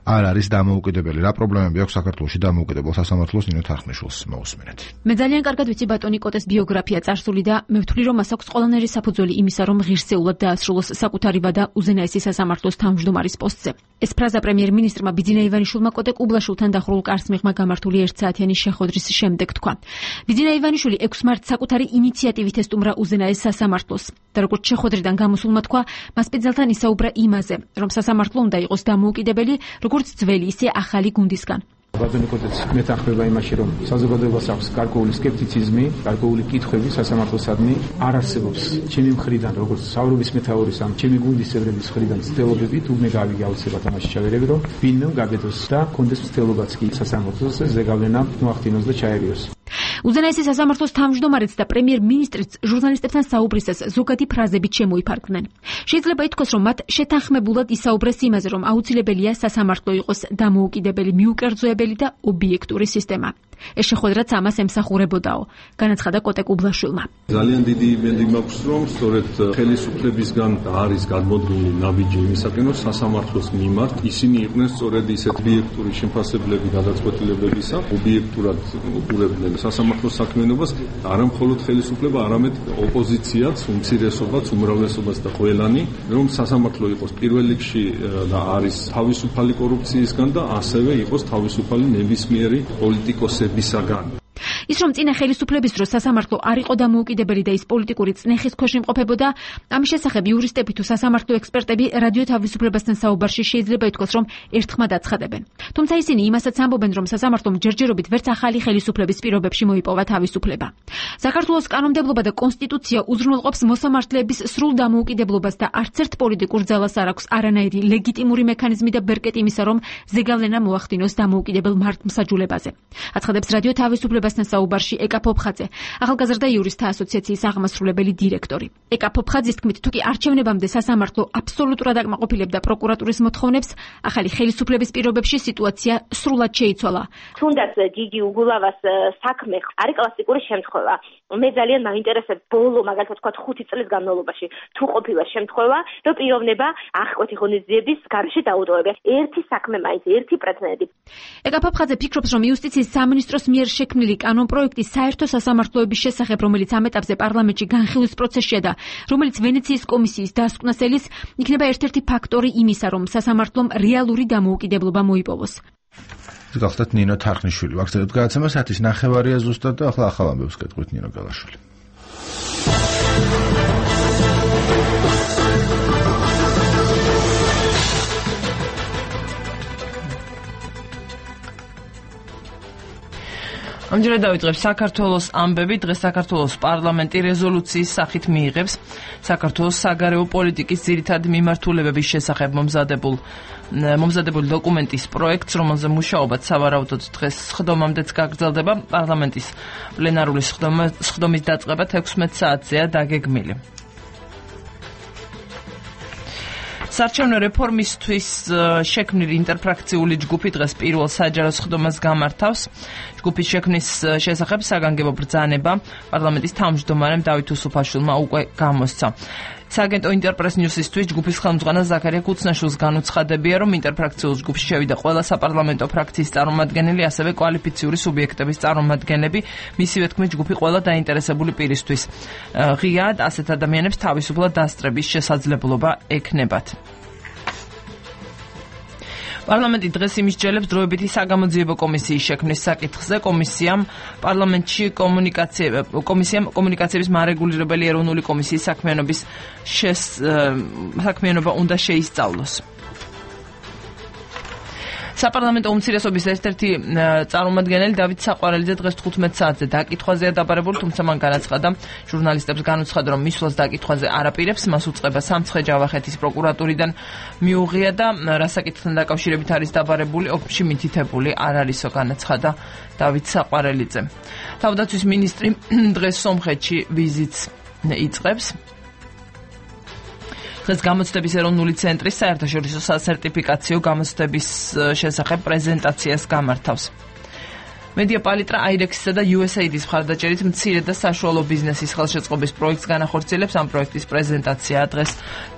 არ არის დამოუკიდებელი? რა პრობლემები აქვს საქართველოში დამოუკიდებელ სასამართლოს? ნინო თარხნიშვილს მოусმინეთ. მე ძალიან კარგად ვიცი ბატონი კოტეს ბიოგრაფია წარსული და მე ვთვლი, რომ მას აქვს ყველანაირი საფუძველი იმისა, რომ ღირსეულად დაასრულოს საკუთარი ვადა უზენაესი სასამართლოს თავმჯდომარის პოსტზე. ეს ფრაზა პრემიერ-მინისტრმა ბიძინა ივანიშვილმა კოტე კუბლაშვილთან დახურულ კარს მიღმა გამართული 1 საათიანი შეხვედრის შემდეგ თქვა. ბიძინა ივანიშვილი 6 მარტს საკუთარი ინიციატივით ესტუმრა უზენაეს სასამართლოს და როგორც შეხვედრიდან გამოსულმა თქვა, მას პეძელთან ისაუბრა იმაზე, რომ სასამართლო უნდა იყოს დამოუკიდებელი, როგორც ძველი, ისე ახალი გუნდისგან. ბატონი კოტეც მეთანხმება იმაში, რომ საზოგადოებას აქვს გარკვეული სკეპტიციზმი, გარკვეული კითხვები სასამართლოსადმი არ არსებობს. ჩემი მხრიდან, როგორც საუბრობის მეთაურის ამ ჩემი გუნდის წევრების მხრიდან ცდილობები თუნდაც გავიგე აუცილებლად ამაში ჩავერები, რომ ვინმე გაგედოს და კონდეს ცდილობაც კი სასამართლოს ზეგავლენა მოახდინოს და ჩაერიოს. უზენაესი სასამართლოს თავმჯდომარეც და პრემიერ-მინისტრიც ჟურნალისტებთან საუბრისას ზოგადი ფრაზებით შემოიფარგლნენ. შეიძლება ითქვას, რომ მათ შეთანხმებულად ისაუბრეს იმაზე, რომ აუცილებელია სასამართლო იყოს დამოუკიდებელი, მიუკერძოებელი და ობიექტური სისტემა. ეს შეხვედრაც ამას ემსახურებოდაო. განაცხადა კოტე კუბლაშვილმა. ძალიან დიდი იმედი მაქვს, რომ სწორედ ხელისუფლებისგან არის გადმოდგმული ნაბიჯი იმისაკენ, რომ სასამართლოს მიმართ ისინი იყვნენ სწორედ ისეთ ობიექტური შემფასებლები გადაწყვეტილებებისა, ობიექტურად უყურებდნენ სასამართლოს საქმიანობას, არა მხოლოდ ხელისუფლება, არამედ ოპოზიციაც, უმცირესობაც, უმრავლესობაც და ყველანი, რომ სასამართლო იყოს პირველ რიგში და არის თავისუფალი კორუფციისგან და ასევე იყოს თავისუფალი ნებისმიერი პოლიტიკოსებისაგან. ის რომ წინა ხელისუფლების დროს სასამართლო არ იყო დამოუკიდებელი და ის პოლიტიკური წნეხის ქვეშ იმყოფებოდა, ამის შესახებ იურისტები თუ სასამართლო ექსპერტები რადიო თავისუფლებასთან საუბარში შეიძლება ითქვას, რომ ერთხმად აცხადებენ. თუმცა ისინი იმასაც ამბობენ, რომ სასამართლომ ჯერჯერობით ვერც ახალი ხელისუფლების პირობებში მოიპოვა თავისუფლება. საქართველოს კანონმდებლობა და კონსტიტუცია უზრუნველყოფს მოსამართლეების სრულ დამოუკიდებლობას და არც ერთ პოლიტიკურ ძალას არ აქვს არანაირი ლეგიტიმური მექანიზმი და ბერკეტი იმისა, რომ ზეგავლენა მოახდინოს დამოუკიდებელ მართლმსაჯულებაზე. აცხადებს რადიო თავისუფლებასთან საუბარში ეკა ფოფხაძე, ახალგაზრდა იურისტთა ასოციაციის აღმასრულებელი დირექტორი. ეკა ფოფხაძის თქმით, თუ კი არჩევნებამდე სასამართლო აბსოლუტურად აკმაყოფილებდა პროკურატურის მოთხოვნებს, ახალი ხელისუფლების პირობებში სიტუაცია სრულად შეიცვალა. თუნდაც გიგი უგულავას საქმე არის კლასიკური შემთხვევა. მე ძალიან მაინტერესებს ბოლო, მაგალითად თქვა 5 წლის განმავლობაში, თუ ყოფილა შემთხვევა, რომ პიროვნება აღკვეთი ღონისძიების გარეშე დაუტოვებია. ერთი საქმე მაინც, ერთი პრეცედენტი. ეკა ფოფხაძე ფიქრობს, რომ იუსტიციის სამინისტროს მიერ შექმნილი კანონპროექტი საერთო სასამართლოების შესახებ, რომელიც ამ ეტაპზე პარლამენტში განხილვის პროცესშია და რომელიც ვენეციის კომისიის დასკვნას იქნება ერთ-ერთი ფაქტორი იმისა, რომ სასამართლომ რეალური დამოუკიდებლობა მოიპოვოს. გახდათ ნინო თარხნიშვილი. ვაგზავნებთ გადაცემას 1:09 ზუსტად და ახლა ახალ ამბებს გეტყვით ნინო გალაშვილი. ამჯერად დავიწყებ საქართველოს ამბები. დღეს საქართველოს პარლამენტი რეზოლუციის სახით მიიღებს საქართველოს საგარეო პოლიტიკის ძირითადი მიმართულებების შესახებ მომზადებული დოკუმენტის პროექტს, რომელზე მუშაობაც სავარაუდოდ დღეს სხდომამდეც გაგრძელდება. პარლამენტის პლენარული სხდომის დაწყება 16 საათზეა დაგეგმილი. საარჩევნო რეფორმისთვის შექმნილი ინტერფრაქციული ჯგუფი დღეს პირველ საჯარო სხდომას გამართავს. ჯგუფის შექმნის შესახებ საგანგებო ბრძანება პარლამენტის თავმჯდომარემ დავით უსუფაშვილმა უკვე გამოსცა. სააგენტო ინტერპრეს ნიუსისთვის ჯგუფის ხელმძღვანელ ზაქარია კუცნაშვილს განუცხადებია, რომ ინტერფრაქციულ ჯგუფში შევიდა ყველა საპარლამენტო ფრაქციის წარმომადგენელი, ასევე კვალიფიციური სუბიექტების წარმომადგენლები. მისივე თქმით, ჯგუფი ყველა დაინტერესებული პირისთვის ღიად ასეთ ადამიანებს თავისუფლად დასწრების შესაძლებლობა ექნებათ. პარლამენტი დღეს იმისჯელებს დროებითი საგამოძიებო კომისიის შექმნის საკითხზე. კომისიამ კომუნიკაციების მარეგულირებელი ეროვნული კომისიის საქმიანობა უნდა შეისწავლოს. საპარლამენტო უმცირესობის ერთ-ერთი წარმომადგენელი დავით საყვარელიძე დღეს 15 საათზე დაკითხვაზეა დაბარებული, თუმცა მან განაცხადა ჟურნალისტებს განუცხადა, რომ მისვლას დაკითხვაზე არ აპირებს, მას უწყება სამცხე-ჯავახეთის პროკურატურიდან მიუღია და რა საკითხთან დაკავშირებით არის დაბარებული, ოფისში მითითებული არ არისო, განაცხადა დავით საყვარელიძე. თავდაცვის მინისტრი დღეს სომხეთში ვიზიტს იწყებს. დღეს გამოცდების ეროვნული ცენტრის საერთაშორისო სასერტიფიკაციო გამოცდების შესახებ პრეზენტაციას გამართავს. მედია პალიტრა აირექსისა და USAID-ის მხარდაჭერით მცირე და საშუალო ბიზნესის ხელშეწყობის პროექტს განახორციელებს. ამ პროექტის პრეზენტაცია დღეს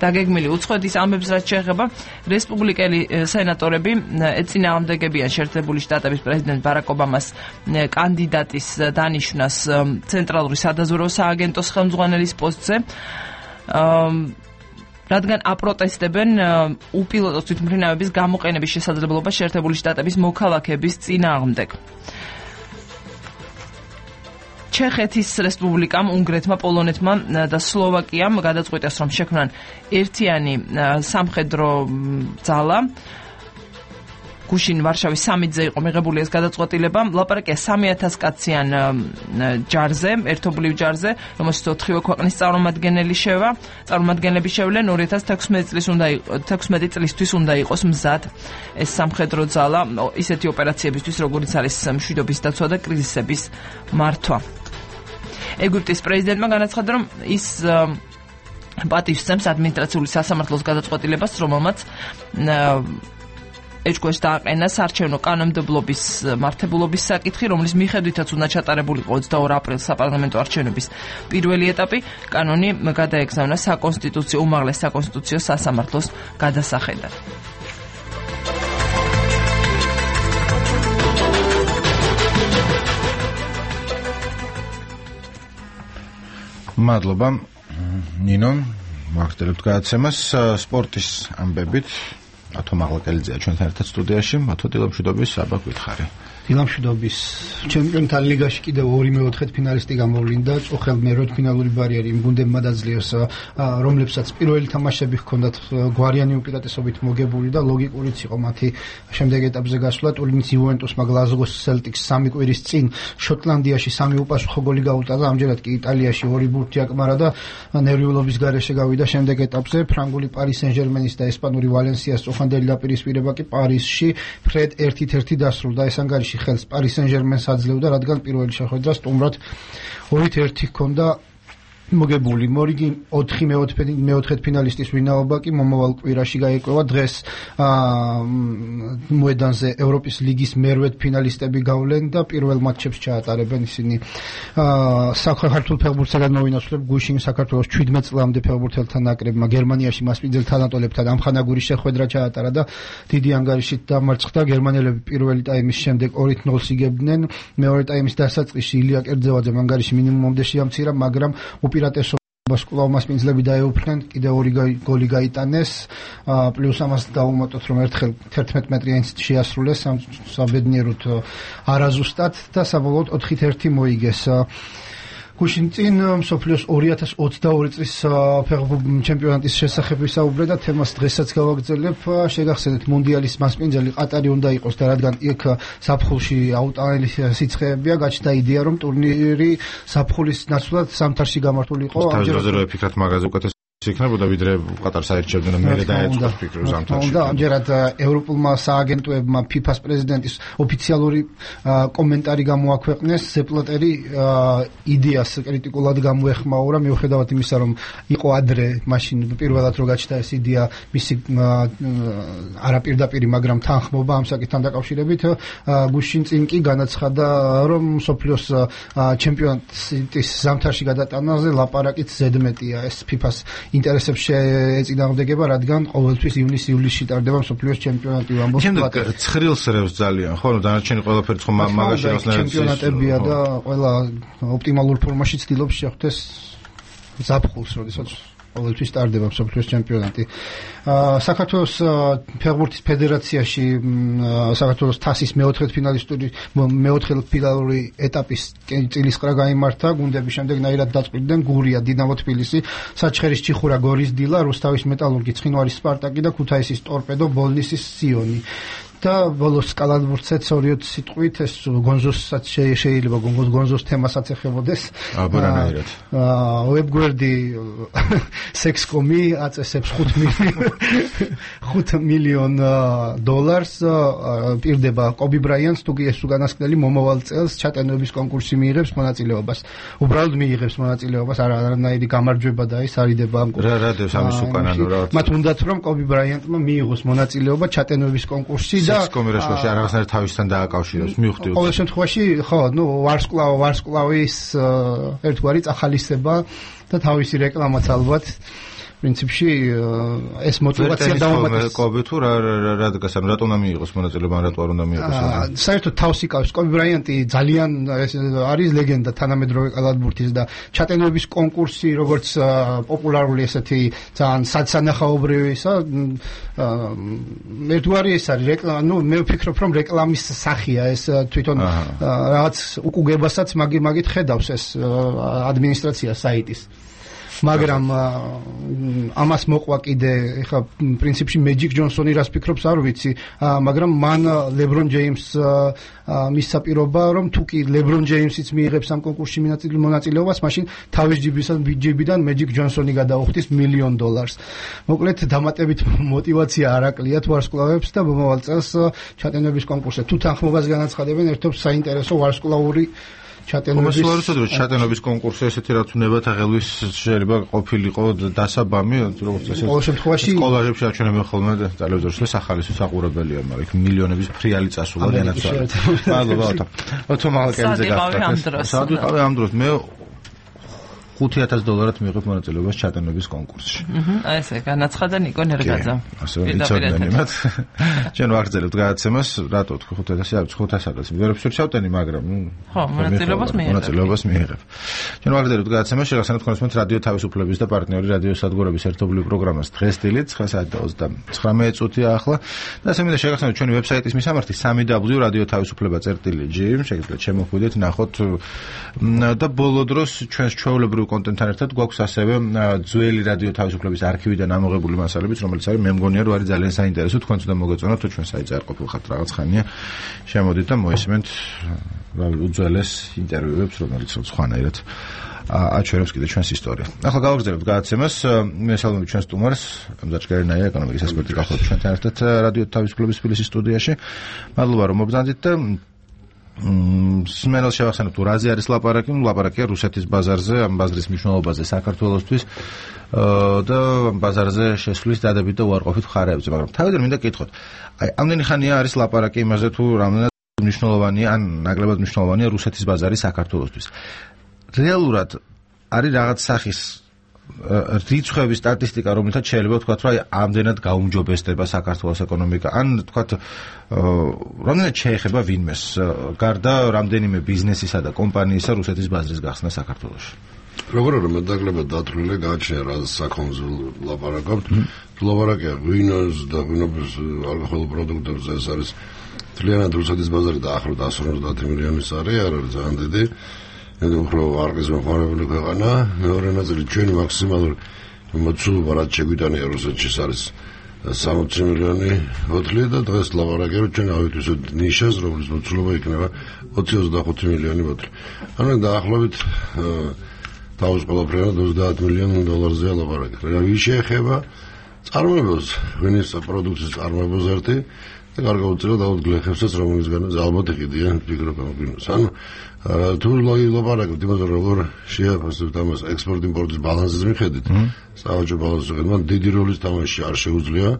დაგეგმილი. უცხოეთის ამბებს რაც შეეხება, რესპუბლიკელი სენატორები ეწინააღმდეგებიან შეერთებული შტატების პრეზიდენტ ბარაკ ობამას კანდიდატის დანიშვნას ცენტრალური სადაზვერვო სააგენტოს ხელმძღვანელის პოსტზე. რადგან აპროტესტებენ უპილოტო თვითმფრინავების გამოყენების შესაძლებლობა შეერთებული შტატების მოქალაქეების წინააღმდეგ. ჩეხეთის რესპუბლიკამ, უნგრეთმა, პოლონეთმა და სლოვაკიამ გადაწყვიტეს, რომ შექმნან ერთიანი სამხედრო ძალა. გუშინ ვარშავის სამიტზე იყო მიღებული ეს გადაწყვეტილება. ლაპარაკია 3000 კაციან ჯარზე, ერთობლივ ჯარზე, რომელშიც 4 ქვეყნის წარმომადგენლები შევლენ. 2016 წლისთვის უნდა იყოს მზად ეს სამხედრო ძალა ისეთი ოპერაციებისთვის, როგორიც არის მშვიდობის დაცვა და კრიზისების მართვა. ეგვიპტის პრეზიდენტმა განაცხადა, რომ ის პატივს სცემს ადმინისტრაციული სასამართლოს გადაწყვეტილებას, რომელმაც ეჭქვეშ დააყენა საარჩევნო კანონმდებლობის მართებულობის საკითხი, რომლის მიხედვითაც უნდა ჩატარებულიყო 22 აპრილს საპარლამენტო არჩევნების პირველი ეტაპი. კანონი გადაეგზავნა საკონსტიტუციო უმაღლეს საკონსტიტუციო სასამართლოს გადასახედად. მადლობა ნინო მაგდელებთ გადაცემას სპორტის ამბებით ათო მაღლაკელიძეა ჩვენთან ერთად სტუდიაში. ათო დილამშვიდობის საბა გითხარი. დილამშვიდობის ჩემპიონთა ლიგაში კიდევ 2-4 ფინალისტი გამოვლინდა. წუხელ მერვედფინალური ბარიერი იმ გუნდებმა დაძლიერს, რომლებსაც პირველი თამაშები ჰქონდათ გვარიანი უპირატესობით მოგებული და ლოგიკურიც იყო მათი შემდეგ ეტაპზე გასვლა. ტურინის იუვენტუსმა გლაზგოს სელტიკს 3 კვირის წინ შოტლანდიაში 3 უპასუხო გოლი გაუტანა. ამჯერად კი იტალიაში 2 ბურთი აკმარა და ნერვიულობის გარეშე გავიდა შემდეგ ეტაპზე. ფრანგული პარის სენ-ჟერმენის და ესპანური ვალენსიას წუხანდელი დაპირისპირება კი პარიზში ფრედ 1-1 დასრულდა. ეს ანგარიში ხელს პარის სენ-ჟერმენს აძლევდა, რადგან პირველი შეხვედრა სტუმრად 2-1 ჰქონდა მოგებული. მორიგი 4 ფინალისტის ვინაობა კი მომავალ კვირაში გაიკვევა. დღეს მოედანზე ევროპის ლიგის მერვედ ფინალისტები გავლენ და პირველ მატჩებს ჩაატარებენ ისინი. საქართველოს ფეხბურთისგან მოვინაცვლებ გუშინ საქართველოს 17 წლამდე ფეხბურთელთა ნაკრებმა გერმანიაში მასპინძელ თანატოლებთან ამხანაგური შეხვედრა ჩაატარა და დიდი ანგარიშით დამარცხდა. გერმანელები პირველი ტაიმის შემდეგ 2-0 იგებდნენ. მეორე ტაიმის დასაწყისში ილია კერძევაძემ ანგარიში მინიმუმამდე შეამცირა, მაგრამ უპირატესობას კვლავ მასპინძლები დაეუფლნენ, კიდევ 2 გოლი გაიტანეს, პლუს ამას დაუმატოთ, რომ ერთხელ 11 მეტრიანი შეასრულეს საბედნიეროდ არაზუსტად და საბოლოოდ 4-1 მოიგეს. გუშინ წინ მსოფლიოს 2022 წლის ჩემპიონატის შესახებ ვისაუბრე და თემას დღესაც გავაგრძელებ. შეგახსენეთ, მუნდიალის მასპინძელი ყატარი უნდა იყოს და რადგან იქ ზაფხულში აუტანელი სიცხეებია, გაჩნდა იდეა, რომ ტურნირი ზაფხულის ნაცვლად ზამთარში გამართულიყო. თავისუფლად ვფიქრობ მაგაზე უკეთეს იქნებოდა ვიდრე ყატარს აირჩევდნენ და მე დაეწყო ფიქრს ზამთარში. და ამჯერად ევროპულმა სააგენტოებმა FIFA-ს პრეზიდენტის ოფიციალური კომენტარი გამოაქვეყნეს. ზეპლატერი იდეას კრიტიკულად გამოეხმაურა, მიუხედავად იმისა, რომ იყო ადრე მაშინ პირველად რო გაჩნდა ეს იდეა მისი არაპირდაპირი, მაგრამ თანხმობა ამ საკითხთან დაკავშირებით. გუშინ წინ კი განაცხადა, რომ მსოფლიოს ჩემპიონატის ზამთარში გადატანაზე ლაპარაკით ზედმეტია. ეს FIFA-ს ინტერესებს შეეწინააღმდეგება, რადგან ყოველთვის ივნისში ტარდება მსოფლიოს ჩემპიონატი. შემდეგ ცხრილს რევს ძალიან, ხო, დანარჩენი ყველაფერი ხო მაგაში როსნაირად ჩემპიონატებია და ყველა ოპტიმალურ ფორმაში ცდილობს შეხვდეს ზაფხულს, როდესაც ყოველთვის ტარდება მსოფლიოს ჩემპიონატი. საქართველოს ფეხბურთის ფედერაციაში საქართველოს თასის მეოთხე ფინალური ეტაპის წილისყრა გაიმართა. გუნდები შემდეგნაირად დაწყვიტდნენ: გურია, დინამო თბილისი, საჩხერის ჩიხურა, გორის დილა, რუსთავის მეტალურგი, ცხინვალის სპარტაკი და ქუთაისის ტორპედო, ბოლნისის სიონი. და ბოლოს კალათბურთსაც 2 სიტყვით ეს გონზოსაც შეიძლება გონზოს თემასაც ეხებოდეს. აბარანაირად. ვებგვერდი Sex.com-ი აწესებს $5 მილიონ პირდება კობი ბრაიანს, თუ კი ეს უკანასკნელი მომავალ წელს ჩატენების კონკურსში მიიღებს მონაწილეობას. უბრალოდ მიიღებს მონაწილეობას, არანაირი გამარჯვება და ის არიდება ამ რა დევს ამის უკანანო რა. მათ უნდათ რომ კობი ბრაიანტმა მიიღოს მონაწილეობა ჩატენების კონკურსში და კომერაშოში რაღაცნაირად თავისთან დააკავშიროს, მივხვდი. ყოველ შემთხვევაში, ხო, ვარსკვლავის ერთგვარი წახალისება და თავისი რეკლამაც ალბათ პრინციპში ეს мотиваცია დაუმატეს. კობი თუ რა დგას, ანუ რატო უნდა მიიღოს მონაწილეობა, რატო არ უნდა მიიღოს? საერთოდ თავს იკავს კობი ბრაიანტი ძალიან არის ლეგენდა თანამედროვე კალათბურთის და ჩატენების კონკურსი, როგორც პოპულარული ესეთი ძალიან სანახაობრივისა, ერთგვარი ეს არის რეკლამა, მე ვფიქრობ, რომ რეკლამის სახეა ეს თვითონ რაღაც უკუგებასაც მაგით ხედავს ეს ადმინისტრაცია საიტის. მაგრამ ამას მოყვა კიდე ეხა პრინციპში მეჯიკ ჯონსონი რას ფიქრობს არ ვიცი, მაგრამ მან ლებრონ ჯეიმს მისცა პირობა, რომ თუ კი ლებრონ ჯეიმსიც მიიღებს ამ კონკურსში მონაწილეობას, მაშინ თავის ჯიბიდან მეჯიკ ჯონსონი გადაუხდის $1 მილიონ. მოკლედ დამატებით мотиваცია არ აკლიათ ვარსკვლავებს და მომავალ წელს ჩატენების კონკურსზე თუ თანხმობას განაცხადებენ, ერთობს საინტერესო ვარსკვლავური ჩატენობის კონკურსი ესეთი რაც უნდა თაღელვის შეიძლება ყოფილიყო დასაბამი როგორც წესი ყოველ შემთხვევაში სკოლებში აჩვენებენ ხოლმე ძალებძორს სახალისო საყურებელია მაგრამ იქ მილიონების ფრიალი წასულა განაცვალა მადლობა ოთომალკენზე გახდა სადღაც ამ დროს მე $5,000 მიღებ მონაწილეობას ჩატენობის კონკურსში. ესე განაცხადა ნიკო ნერგაძემ. ასე ვიცოდნენ იმათ. ჩვენ ვაგრძელებთ გადაცემას, რატო თქვი 5,000 არის 500-ს. ვერაფერს ვერ ჩავტენი, მაგრამ ხო, მონაწილეობას მიიღებ. ჩვენ ვაგრძელებთ გადაცემას, შეგახსენებთ კონსუმენტ რადიო თავისუფლების და პარტნიორი რადიო სადგურების ერთობლივ პროგრამას დღესდღეობით 9:29 წუთია ახლა. და ასე მინდა შეგახსენებთ ჩვენი ვებსაიტის მისამართი www.radioთავისუფლება.წერტილი.gr შეგიძლიათ შემოხვიდეთ, ნახოთ და ბოლო დროს ჩვენს ჩვეულებრივ კონტენტთან ერთად გვაქვს ასევე ძველი რადიო თავისუფლების არქივიდან ამოღებული მასალებიც, რომელიც არის მე მგონია რომ არის ძალიან საინტერესო, თქვენც უნდა მოგეწონათ თუ ჩვენ საიტზე არ ყოფილხართ რაღაც ხანია. შემოდით და მოისმენთ უძველეს ინტერვიუებს, რომელიც სხვანაირად აჩვენებს კიდე ჩვენს ისტორიას. ახლა გავაგრძელებთ გადაცემას. მესალმებით ჩვენს სტუმარს, მზარჩკერნაია ეკონომიკის ექსპერტი გახლავთ ჩვენთან ერთად რადიო თავისუფლების თბილისის სტუდიაში. მადლობა რომ მობრძანდით და სმენელს შევახსენებ თუ რაზე არის ლაპარაკია რუსეთის ბაზარზე, ამ ბაზრის მნიშვნელობაზე საქართველოსთვის და ბაზარზე შესვლის დადებით და უარყოფით მხარეებზე, მაგრამ თავიდან მინდა კითხოთ. აი, ამდენი ხანია არის ლაპარაკი იმაზე თუ რამდენად მნიშვნელოვანია ან ნაკლებად მნიშვნელოვანია რუსეთის ბაზარი საქართველოსთვის. რეალურად არის რაღაც სახის რიცხვების სტატისტიკა, რომელთაც შეიძლება ვთქვათ, რომ ამდენად გაუმჯობესდება საქართველოს ეკონომიკა, ან ვთქვათ, რამდენად შეეხება ვინმეს, გარდა რამდენიმე ბიზნესისა და კომპანიისა რუსეთის ბაზრის გახსნა საქართველოში. როგორ რომ მეტნაკლებად დათვლილი გააჩნია რა საქონლზე ლაპარაკობთ, ლაპარაკია ღვინოს და ღვინობის ალკოჰოლურ პროდუქტებზე, ეს არის თლიანად რუსეთის ბაზარი დაახლოებით 150 მილიონის არის, არ არის ძალიან დიდი. უფრო არგის მოხარებული ქვეყანა, მეორე ნაწილი ჩვენი მაქსიმალური მოცულობა რაც შეგვიტანია რუსეთში არის 60 მილიონი ბოთლი და დღეს ლაპარაკია რომ ჩვენ ავიტვისოთ ნიშას, რომლის მოცულობა იქნება 20-25 მილიონი ბოთლი. ანუ დაახლოებით თავს ყველაფერად $30 მილიონზე ლაპარაკია. რა შეეხება წარმოებებს, ღვინის პროდუქციის წარმოებებს ერთი და გარკვეულწილად გლეხებსაც, რომელისგანაც ალბათ იყიდიან ფიქრობ ამ ღვინოს. ანუ თუ ლაპარაკობთ იმაზე, როგორ შეაფასებთ ამას ექსპორტ-იმპორტის ბალანსის მიხედვით, საავაჭრო ბალანსის მიხედვით, დიდი როლის თამაში არ შეუძლია,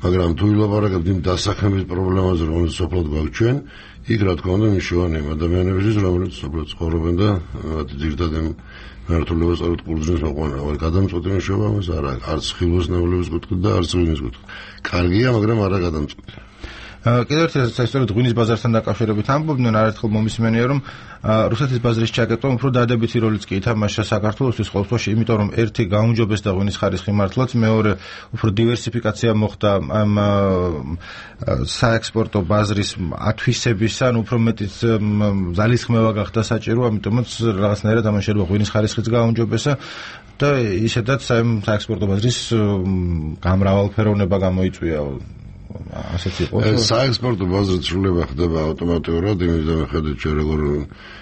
მაგრამ თუ ლაპარაკობთ იმ დასაქმების პრობლემაზე, რომელიც სოფლად გვაქვს ჩვენ, იქ რა თქმა უნდა მნიშვნელოვანია ადამიანებისთვის, რომლებიც სოფლად ცხოვრობენ და ძირითადად მართლობას სწორად ყურძნის მოყვანა, გადამწყვეტი მნიშვნელობა ამას არ აქვს, არც ხილოს ნავლების კუთხით და არც ღვინის კუთხით. კარგია, მაგრამ არა გადამწყვეტი. კიდევ ერთ საერთოდ ღვინის ბაზართან დაკავშირებით ამბობდნენ, არაერთხელ მომისმენია, რომ რუსეთის ბაზრის ჩაკეტვა უფრო დადებითი როლიც კი ითამაშა საქართველოსთვის ყოველთვის, იმიტომ რომ ერთი გაუმჯობესდა ღვინის ხარისხი მართლაც, მეორე უფრო დივერსიფიკაცია მოხდა ამ საექსპორტო ბაზრის ათვისების, ან უფრო მეტიც ძალისხმევა გახდა საჭირო, ამიტომაც რაღაცნაირად ამან შეიძლება ღვინის ხარისხიც გაუმჯობესა და ისედაც საექსპორტო ბაზრის გამრავალფეროვნება გამოიწვია. საექსპორტო ბაზრის ცვლილება ხდება ავტომატურად, იმის მიხედვით ჩვენ როგორ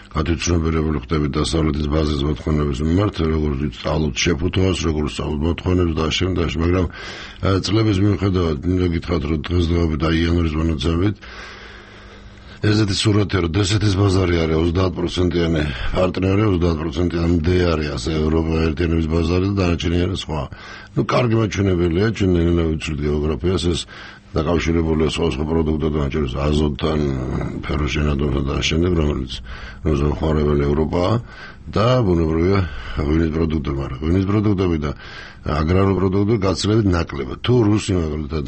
გათვითცნობიერებული ხდებით დასავლეთის ბაზრის მოთხოვნების მიმართ, როგორ ვსწავლობთ შეფუთვას, როგორ ვსწავლობთ მოთხოვნებს და შემდეგ, მაგრამ წლების მიუხედავად მინდა გითხრათ, რომ დღესდღეობით და იანვრის მონაცემებით ესეთი სურათია, რომ დსთ-ის ბაზარი არის 30%-იანი პარტნიორი, 30%-ამდე არის ასე ევროპა ერთიანობის ბაზარი და დანარჩენი არის სხვა. ნუ კარგი მაჩვენებელია, ჩვენ ნელა ვიცვლით გეოგრაფიას, ეს დაკავშირებულია სხვა პროდუქტებთან, აჭერს აზოტთან, ფეროშენადონთან და შემდეგ, რომელიც მოხმარებელია ევროპაა და ბუნებრივია ღვინის პროდუქტები, მაგრამ ღვინის პროდუქტები და აგრარული პროდუქტები გაცილებით ნაკლებად. თუ რუსი მაგალითად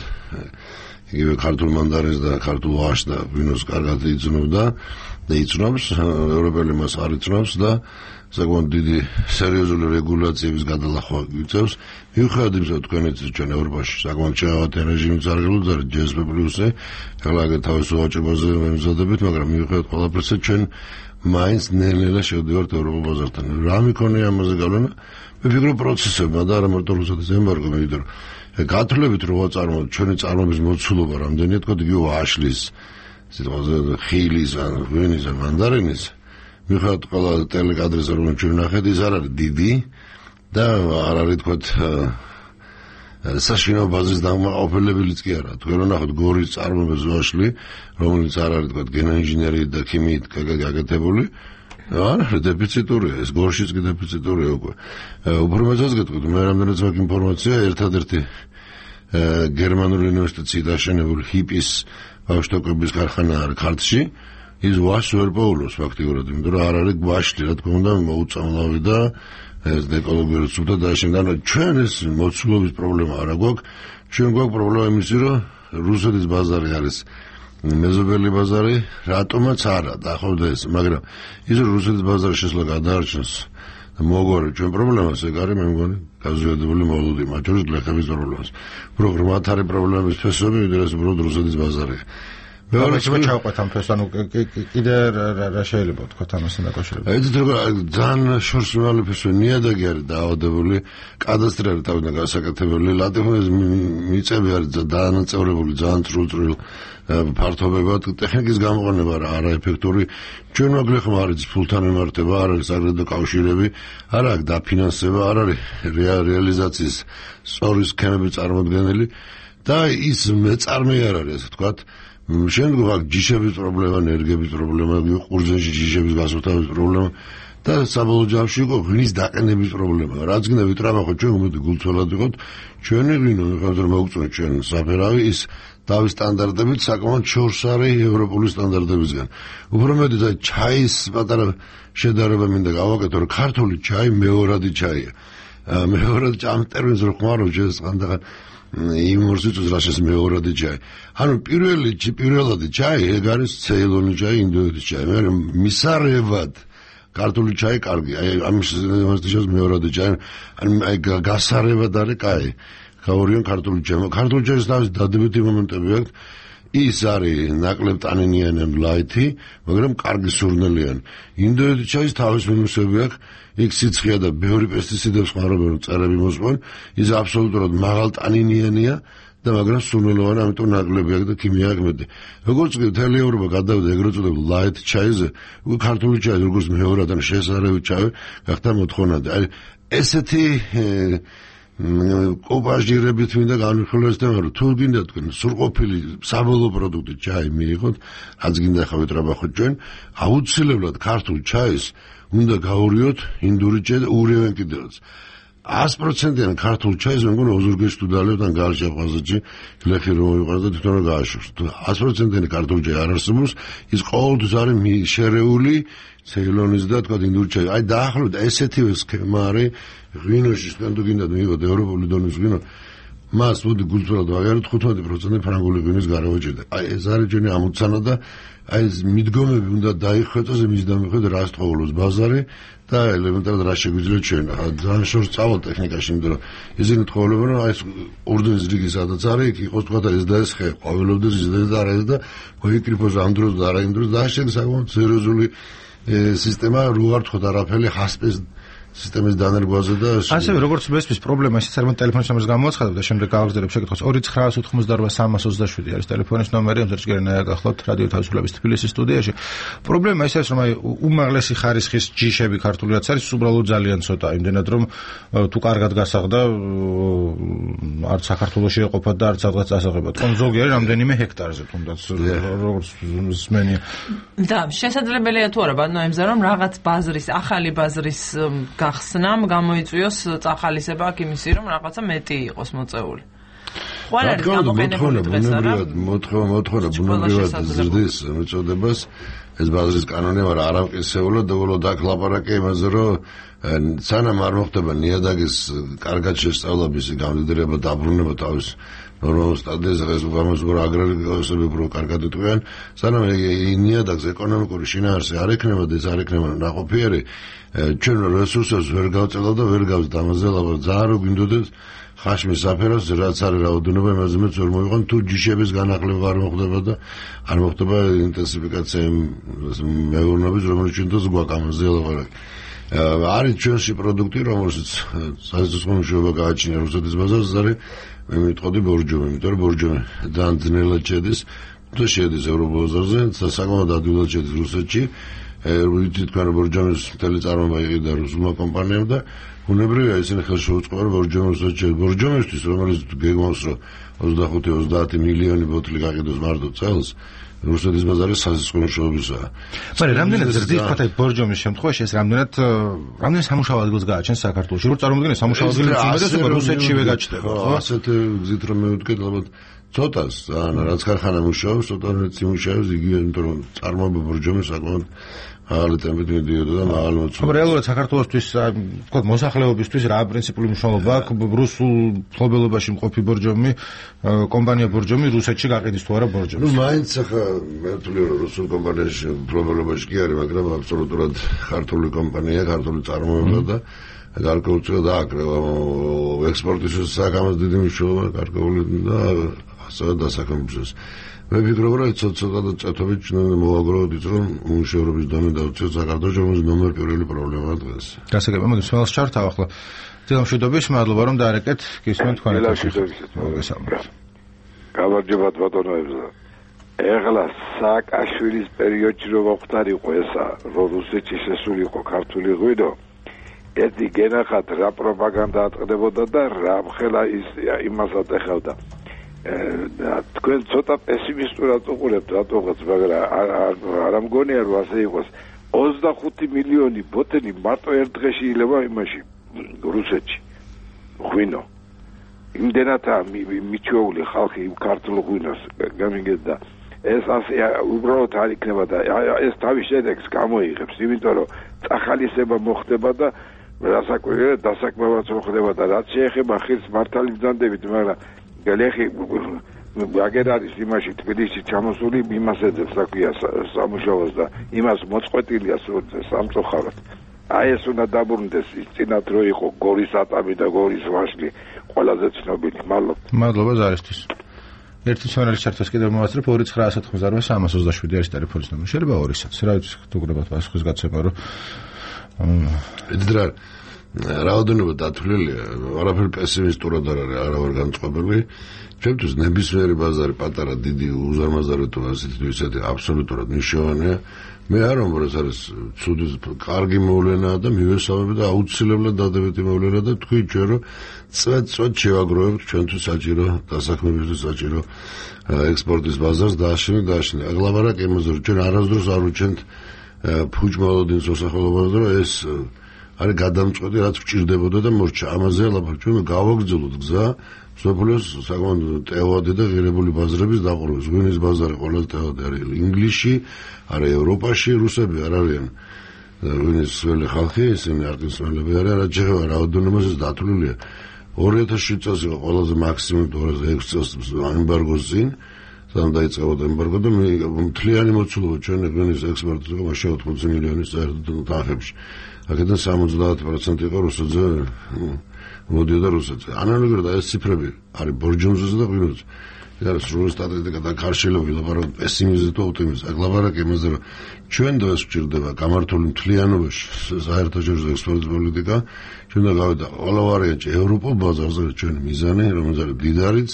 იგივე ქართულ მანდარინს და ქართულ ვაშს და ღვინოს კარგად იცნობდა და იცნობს, ევროპელი მას არ იცნობს და საკმაოდ დიდი სერიოზული რეგულაციების გადალახვა იწევს. მიუხედავად იმისა, რომ თქვენიც ჩვენ ევროპაში საკმაოდ ჩავატე რეჟიმიც არ გულდა GSP პლუსზე, ახლა თავის ვაჭრობაზე მემზადებით, მაგრამ მიუხედავად ყველაფერისა ჩვენ მაინც ნელ-ნელა შევდივართ ევროპულ ბაზართან. რა მიქონია ამაზე გავლენა? მე ვფიქრობ პროცესებმა და არა მარტო რუსეთის ემბარგო, იმიტომ რომ გათვლებით რო ვაწარმოებთ ჩვენი წარმოების მოცულობა რამდენია, თქო იგივე ვაშლის, სიტყვაზე ხილის ან ღვინის ან მანდარინის მიუხედავად ყველა ტელეკადრისა, რომელიც ჩვენ ნახეთ, ის არ არის დიდი და არ არის თქო საშინაო ბაზრის დამაყოფილებელიც კი არა. თქვენ რო ნახოთ გორის წარმოების ვაშლი, რომელიც არ არის თქო გენოინჟინერიით და ქიმიით გაკეთებული, არა, დეფიციტურია, ეს გორშიც კი დეფიციტურია უკვე. უფრო მეცაც გეტყვით, მე რამდენიც მაქვს ინფორმაცია, ერთადერთი გერმანული უნივერსიტეტში დაშენებული ჰიპის ბავშვების ქარხანა არის ქართლში. ის ვაშს ვერ პოულობს ფაქტიურად, იმიტომ რომ არ არის ვაშლი, რა თქმა უნდა, მოუწამლავი და ეს ეკოლოგიურად სუფთა დაშენდა. ჩვენ ეს მოცულობის პრობლემა არ გვაქვს. ჩვენ გვაქვს პრობლემა იმისი, რომ რუსეთის ბაზარი არის მეზობელი ბაზარი, რატომაც არა, დაახლოებით ეს, მაგრამ ის რომ რუსეთის ბაზარი შესაძლოა გადაარჩენს და მოგვარი ჩვენ პრობლემას, ეგ არის მე მგონი გაზიადებული მოლოდი, მათ შორის გლეხების პრობლემას. უფრო ღრმად არის პრობლემების ფესვები, ვიდრე ეს უბრალოდ რუსეთის ბაზარია. მეორე ჩავყვეთ ამ ფესს, ანუ კიდე რა შეიძლება ვთქვათ ამასთან დაკავშირებით? ეს ძალიან შორსმავალი ფესვი, ნიადაგი არის დაავადებული, კადასტრი არის თავიდან გასაკეთებელი, ლატიფონის მიწები არის დანაწევრებული ძალიან წრუწრულ ფართობებად, ტექნიკის გამოყენება არაეფექტური. ჩვენ მაგლეხმა არის ფულთან მიმართება, არ არის აგრეთვე კავშირები, არ აქვს დაფინანსება, არ არის რეალიზაციის სწორი სქემები წარმოდგენილი და ის მეწარმე არ არის, ასე ვთქვათ. შემდგომ აქ ჯიშების პრობლემა, ენერგიების პრობლემა, ყურძენში ჯიშების გასუფთავების პრობლემა და საბოლოო ჯამში იყო ღვინის დაყენების პრობლემა. რაც გინდა ვიტრაბახოთ ჩვენ უმეტი გულწრფელად ვიყოთ, ჩვენი ღვინო ხომ მოგწონთ ჩვენ საფერავი ის დავის სტანდარტებით საკმაოდ შორს არის ევროპული სტანდარტებისგან. უფრო მეტიც აი ჩაის პატარა შედარება მინდა გავაკეთო, რომ ქართული ჩაი მეორადი ჩაია. მეორადი ამ ტერმინს რო ხმარო ჯეს ხანდახან იმორსიც რაშეს მეორადი ჩაი. ანუ პირველადი ჩაი ეგ არის ცეილონი ჩაი, ინდოეთის ჩაი. მე მისარევად ქართული ჩაი კარგი. აი ამის მეორადი ჩაი, აი გასარევად არის კაი. გაურიან ქართული ჩაი. ქართული ჩაის თავის დადებითი მომენტები აქვს. ის არის ნაკლებ ტანინიანი ან ლაითი, მაგრამ კარგი სურნელიანი. ინდოეთის ჩაის თავის მინუსები აქვს. იქ სიცხეა და ბევრი პესტიციდებს ხმარობენ, წერები მოსყვან. ის აბსოლუტურად მაღალ ტანინიანია და მაგრამ სურნელოვანი, ამიტომ ნაკლები აქვს და ქიმია აქვს მეტი. როგორც კი მთელი ევროპა გადავიდა ეგრეთ წოდებულ ლაით ჩაიზე, უკვე ქართული ჩაი როგორც მეორად ან შესაძლებელი ჩაი გახდა მოთხოვნადი. აი ესეთი კოპაჟირებით მინდა განვიხილოს თემა, რომ თუ გინდა თქვენ სრულყოფილი საბოლოო პროდუქტი ჩაი მიიღოთ, რაც გინდა ხა ვიტრაბახოთ ჩვენ, აუცილებლად ქართულ ჩაის უნდა გაურიოთ ინდური ჩაი და ურევენ კიდევაც. 100%-იან ქართულ ჩაის მე მგონი ოზურგეში თუ დალებთ ან გალში აფხაზეთში გლეხი რომ მოიყვანოს და თვითონ რომ გააშვებს. 100%-იანი ქართული ჩაი არ არსებობს, ის ყოველთვის არის შერეული ცეილონის და თქვა ინდური ჩაი. აი დაახლოებით ესეთივე სქემა არის ღვინოში, თქვენ თუ გინდათ მიიღოთ ევროპული დონის ღვინო, მას მოდი გულწრფელად ვაღიაროთ 15% ფრანგული ღვინის გარევაჭრდა. აი ეს არის ჩვენი ამოცანა და აი ეს მიდგომები უნდა დაიხვეწოს იმის დამიხვედ რა სწავლობს ბაზარი და ელემენტარად რა შეგვიძლია ჩვენ. ძალიან შორს წავალ ტექნიკაში, იმიტომ რომ ისინი თხოვლებენ რომ აი ეს ორდენის რიგი სადაც არის, იქ იყოს თქვა და ეს და ეს ხე ყვავილობდეს ის და არა და მოიკრიფოს ამ დროს და არა იმ დროს და შენ საკმაოდ სერიოზული სისტემა რო არ თქო არაფერი ხასპეს სისტემის დანერგვაზე და ასევე როგორც მესმის პრობლემა ისიც არის ტელეფონის ნომერს გამოაცხადებ და შემდეგ გავაგზავნებ შეკითხვას 2988388 არის ტელეფონის ნომერი ამზერ ჭირენაა გახლავთ რადიო თავისუფლების თბილისის სტუდიაში. პრობლემა ის არის რომ აი უმაღლესი ხარისხის ჯიშები ქართული რაც არის უბრალოდ ძალიან ცოტა, იმდენად რომ თუ კარგად გასაღდა არც საქართველოში ეყოფა და არც სადღაც ასაღებად. ზოგი არის რამდენიმე ჰექტარზე თუნდაც როგორც მსმენია. და შესაძლებელია თუ არა ბატონო ემზა რომ რაღაც ბაზრის ახალი ბაზრის გახსნამ გამოიწვიოს წახალისება აქ იმისი რომ რაღაცა მეტი იყოს მოწეული. ყველა არის გამოყენებული დღეს არა? მოთხოვნა ბუნებრივად ზრდის მოწოდებას ეს ბაზრის კანონი მაგრამ არ ამყისეულა და უბრალოდ აქ ლაპარაკია იმაზე რომ სანამ არ მოხდება ნიადაგის კარგად შესწავლა მისი გამდიდრება და დაბრუნება თავის ნორმალურ სტადიაზე ეს უგამოსგორ აგრარიულები უფრო კარგად იტყვიან სანამ ნიადაგს ეკონომიკური შინაარსი არ ექნება და ეს არ ექნება ნაყოფიერი ჩვენ რესურსებს ვერ გავწევდა და ვერ გავზდა ამაზე ლაპარაკი ძალიან რო გვინდოდეს ხაშმის საფეროს რაც არის რაოდენობა იმაზე მეც ვერ მოიყვან თუ ჯიშების განახლება არ მოხდება და არ მოხდება ინტენსიფიკაცია მეურნეობის რომელიც ჩვენ თოს გვაქვს ამაზე ლაპარაკი არის ჩვენში პროდუქტი რომელსაც საზღვაო მშვიდობა გააჩნია რუსეთის ბაზარზე არის მე მიტყოდი ბორჯომი იმიტომ რომ ბორჯომი ძალიან ძნელად შედის თუ შედის ევროპულ ბაზარზე საკმაოდ ადვილად შედის რუსეთში ვიცით თქვენ ბორჯომის მთელი წარმოება იყიდა რუსულმა კომპანიამ და უნებრივია ისინი ხელში უწყობენ ბორჯომისთვის რომელიც გეგმავს რომ 25-30 მილიონი ბოთლი გაყიდოს მარტო წელს რუსეთის ბაზარი საზღვაო მუშაობისაა. მაგრამ რამდენად ზრდის თქვა ბორჯომის შემთხვევაში ეს რამდენად სამუშაო ადგილს გააჩენს საქართველოში? რო წარმოვიდგინე სამუშაო ადგილი უმეტესობა რუსეთშივე გაჩნდება, ხო? ასეთ გზით რომ მივუდგეთ ალბათ ცოტას, რაც ქარხანა მუშაობს, ცოტა მუშაობს იგივე, იმიტომ რომ წარმოება ბორჯომი საკმაოდ მაღალი ტემპით მიდიოდა და მაღალი მოცულობა. მაგრამ რეალურად საქართველოსთვის თქვა მოსახლეობისთვის რა პრინციპული მნიშვნელობა აქვს რუსულ მფლობელობაში მყოფი ბორჯომი, კომპანია ბორჯომი რუსეთში გაყიდის თუ არა ბორჯომს? მაინც ახლა მე ვთვლი რომ რუსულ კომპანიაში მფლობელობაში კი არის, მაგრამ აბსოლუტურად ქართული კომპანია, ქართული წარმოება და გარკვეულწილად აკრევა ექსპორტის საკამას დიდი მნიშვნელობა გარკვეული და ასევე დასაქმებულს. მე ვფიქრობ, რომ ცოტა და წათობით მოვაგროვოთ ის, რომ უმუშევრობის დონე დავუწიოთ საქართველოს, რომელიც ნომერ პირველი პრობლემაა დღეს. გასაგებია, მოდი სმელს ჩართავ ახლა. დილამშვიდობის, მადლობა რომ დაარეკეთ, გისმენთ თქვენ ეთერში. გამარჯობათ ბატონოებსა. ეხლა სააკაშვილის პერიოდში რომ მოხდარიყო ესა, რომ რუსეთში შესულიყო ქართული ღვინო, ერთი გენახათ რა პროპაგანდა ატყდებოდა და რა მხელა იმას ატეხავდა. თქვენ ცოტა პესიმისტურად უყურებთ რატოღაც, მაგრამ არ მგონია რომ ასე იყოს. 25 მილიონი ბოთელი მარტო ერთ დღეში ილება იმაში რუსეთში ღვინო. იმდენადაა მიჩვეული ხალხი იმ ქართულ ღვინოს გამიგედა. ეს ასე უბრალოდ არ იქნება და ეს თავის შედეგს გამოიღებს, იმიტომ რომ წახალისება მოხდება და დასაქმებაც მოხდება და რაც შეეხება ხილს მართალი ბრძანდებით, მაგრამ გელეხი აგერ არის იმაში თბილისში ჩამოსული, იმას ეძებს, რა ქვია, სამუშაოს და იმას მოწყვეტილია სამწუხაროდ. აი ეს უნდა დაბრუნდეს ის წინათ რო იყო გორის ატამი და გორის ვაშლი ყველაზე ცნობილი. მადლობა ზარისთვის. ერთი სვენელის ჩარტას კიდევ მოვაცრებ 2998 არის ტელეფონის ნომერი. შეიძლება 2-საც. რა ვიცი, თუგრებათ პასუხის გაცემა რომ ედრა რაოდენობა დათვლილია, არაფერი პესიმისტურად არ არის, არა ვარ განწყობილი. ჩემთვის ნებისმიერი ბაზარი, პატარა, დიდი, უზარმაზარეთო ასეთი თუ ისეთი აბსოლუტურად მნიშვნელოვანია. მე არ ვამბობ, ეს არის ცუდი, კარგი მოვლენაა და მივესალმები და აუცილებლად დადებითი მოვლენაა და თქვი ჩვენ რომ წვეთ შევაგროვებთ ჩვენთვის საჭირო დასაქმებისთვის საჭირო ექსპორტის ბაზარს დააშენეთ. აღლაბარაკი იმაზე რომ ჩვენ არასდროს არ ვუჩენთ ფუჭმალოდინს მოსახლეობას, რომ ეს არის გადამწყვეტი, რაც გვჭირდებოდა და მორჩა. ამაზე ლაპარაკობ, ჩვენ გავაგრძელოთ გზა სოფლის საკმაოდ ტევადი და ღირებული ბაზრების დაყრდნობის. ღვინის ბაზარი ყველაზე ტევადი არის ინგლისში, არა ევროპაში, რუსები არ არიან ღვინის ძველი ხალხი, ისინი არკინსონელები არიან, რაც შეეხება რაოდენობაზე დათვლილია. 2007 წელს იყო ყველაზე მაქსიმუმ 2006 წელს ემბარგოს წინ, სანამ დაიწყებოდა ემბარგო და მთლიანი მოცულობა ჩვენი ღვინის ექსპორტის იყო მაშინ 80 მილიონის საერთო თანხებში. აქედან 70% იყო რუსეთზე მოდიოდა რუსეთზე. ანალოგიურად ეს ციფრები არის ბორჯომზე და ღვინოზე. არის სრული სტატისტიკა და ქარშილობი ლაპარაკობ პესიმიზმი თუ ოპტიმიზმი. ლაპარაკი იმაზე რომ ჩვენ დღეს გვჭირდება გამართული მთლიანობაში საერთაშორისო ექსპორტის პოლიტიკა, ჩვენ და გავიდა ყველა ვარიანტი ევროპულ ბაზარზე ჩვენი მიზანი, რომელიც არის დიდარიც,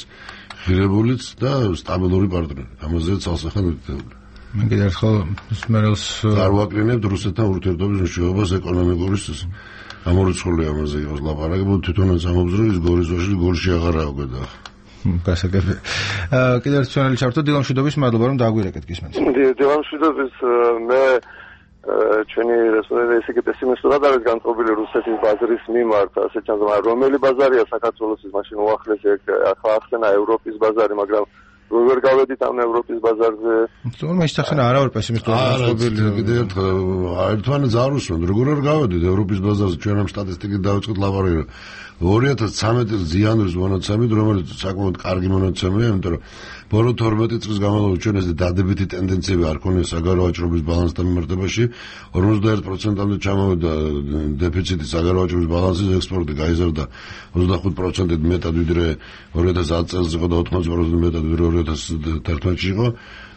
ღირებულიც და სტაბილური პარტნიორი. ამაზე ცალსახად ვიქცეული. მე კიდევ ერთხელ სმერელს არ ვაკრინებთ რუსეთთან ურთიერთობის მნიშვნელობას ეკონომიკური ამორიცხული ამაზე იყოს ლაპარაკი, თვითონაც ამბობს რომ ის გორის ვაშლი გორში აღარ აგვედა. გასაგებია. კიდევ ერთ სვენელი ჩართო დილამშვიდობის, მადლობა რომ დააგვირეკეთ გისმენთ. დილამშვიდობის, მე ჩვენი რესპონდენტი ისე პესიმისტურად არის განწყობილი რუსეთის ბაზრის მიმართ, ასე ჩანს, რომელი ბაზარია საქართველოსის მაშინ უახლესი, ახლა ახსენა ევროპის ბაზარი, მაგრამ როგორ გავედით ამ ევროპის ბაზარზე? თუმცა ისახსენა არა ვარ პესიმისტურად განწყობილი. კიდევ ერთხელ ერთმანეთს არ უსმენთ, როგორ არ გავედით ევროპის ბაზარზე, ჩვენ ამ სტატისტიკით დავიწყეთ ლაპარაკი. 2013 წელს ზიანვის მონაცემით, რომელიც საკმაოდ კარგი მონაცემია, იმიტომ რომ ბოლო 12 წლის განმავლობაში ჩვენ ეს დადებითი ტენდენციები არ ქონია საგარეო ვაჭრობის ბალანსთან მიმართებაში, 41%-მდე ჩამოვიდა დეფიციტი საგარეო ვაჭრობის ბალანსის, ექსპორტი გაიზარდა 25%-ით მეტად ვიდრე 2010 წელს იყო და 80%-ით მეტად ვიდრე 2011-ში იყო.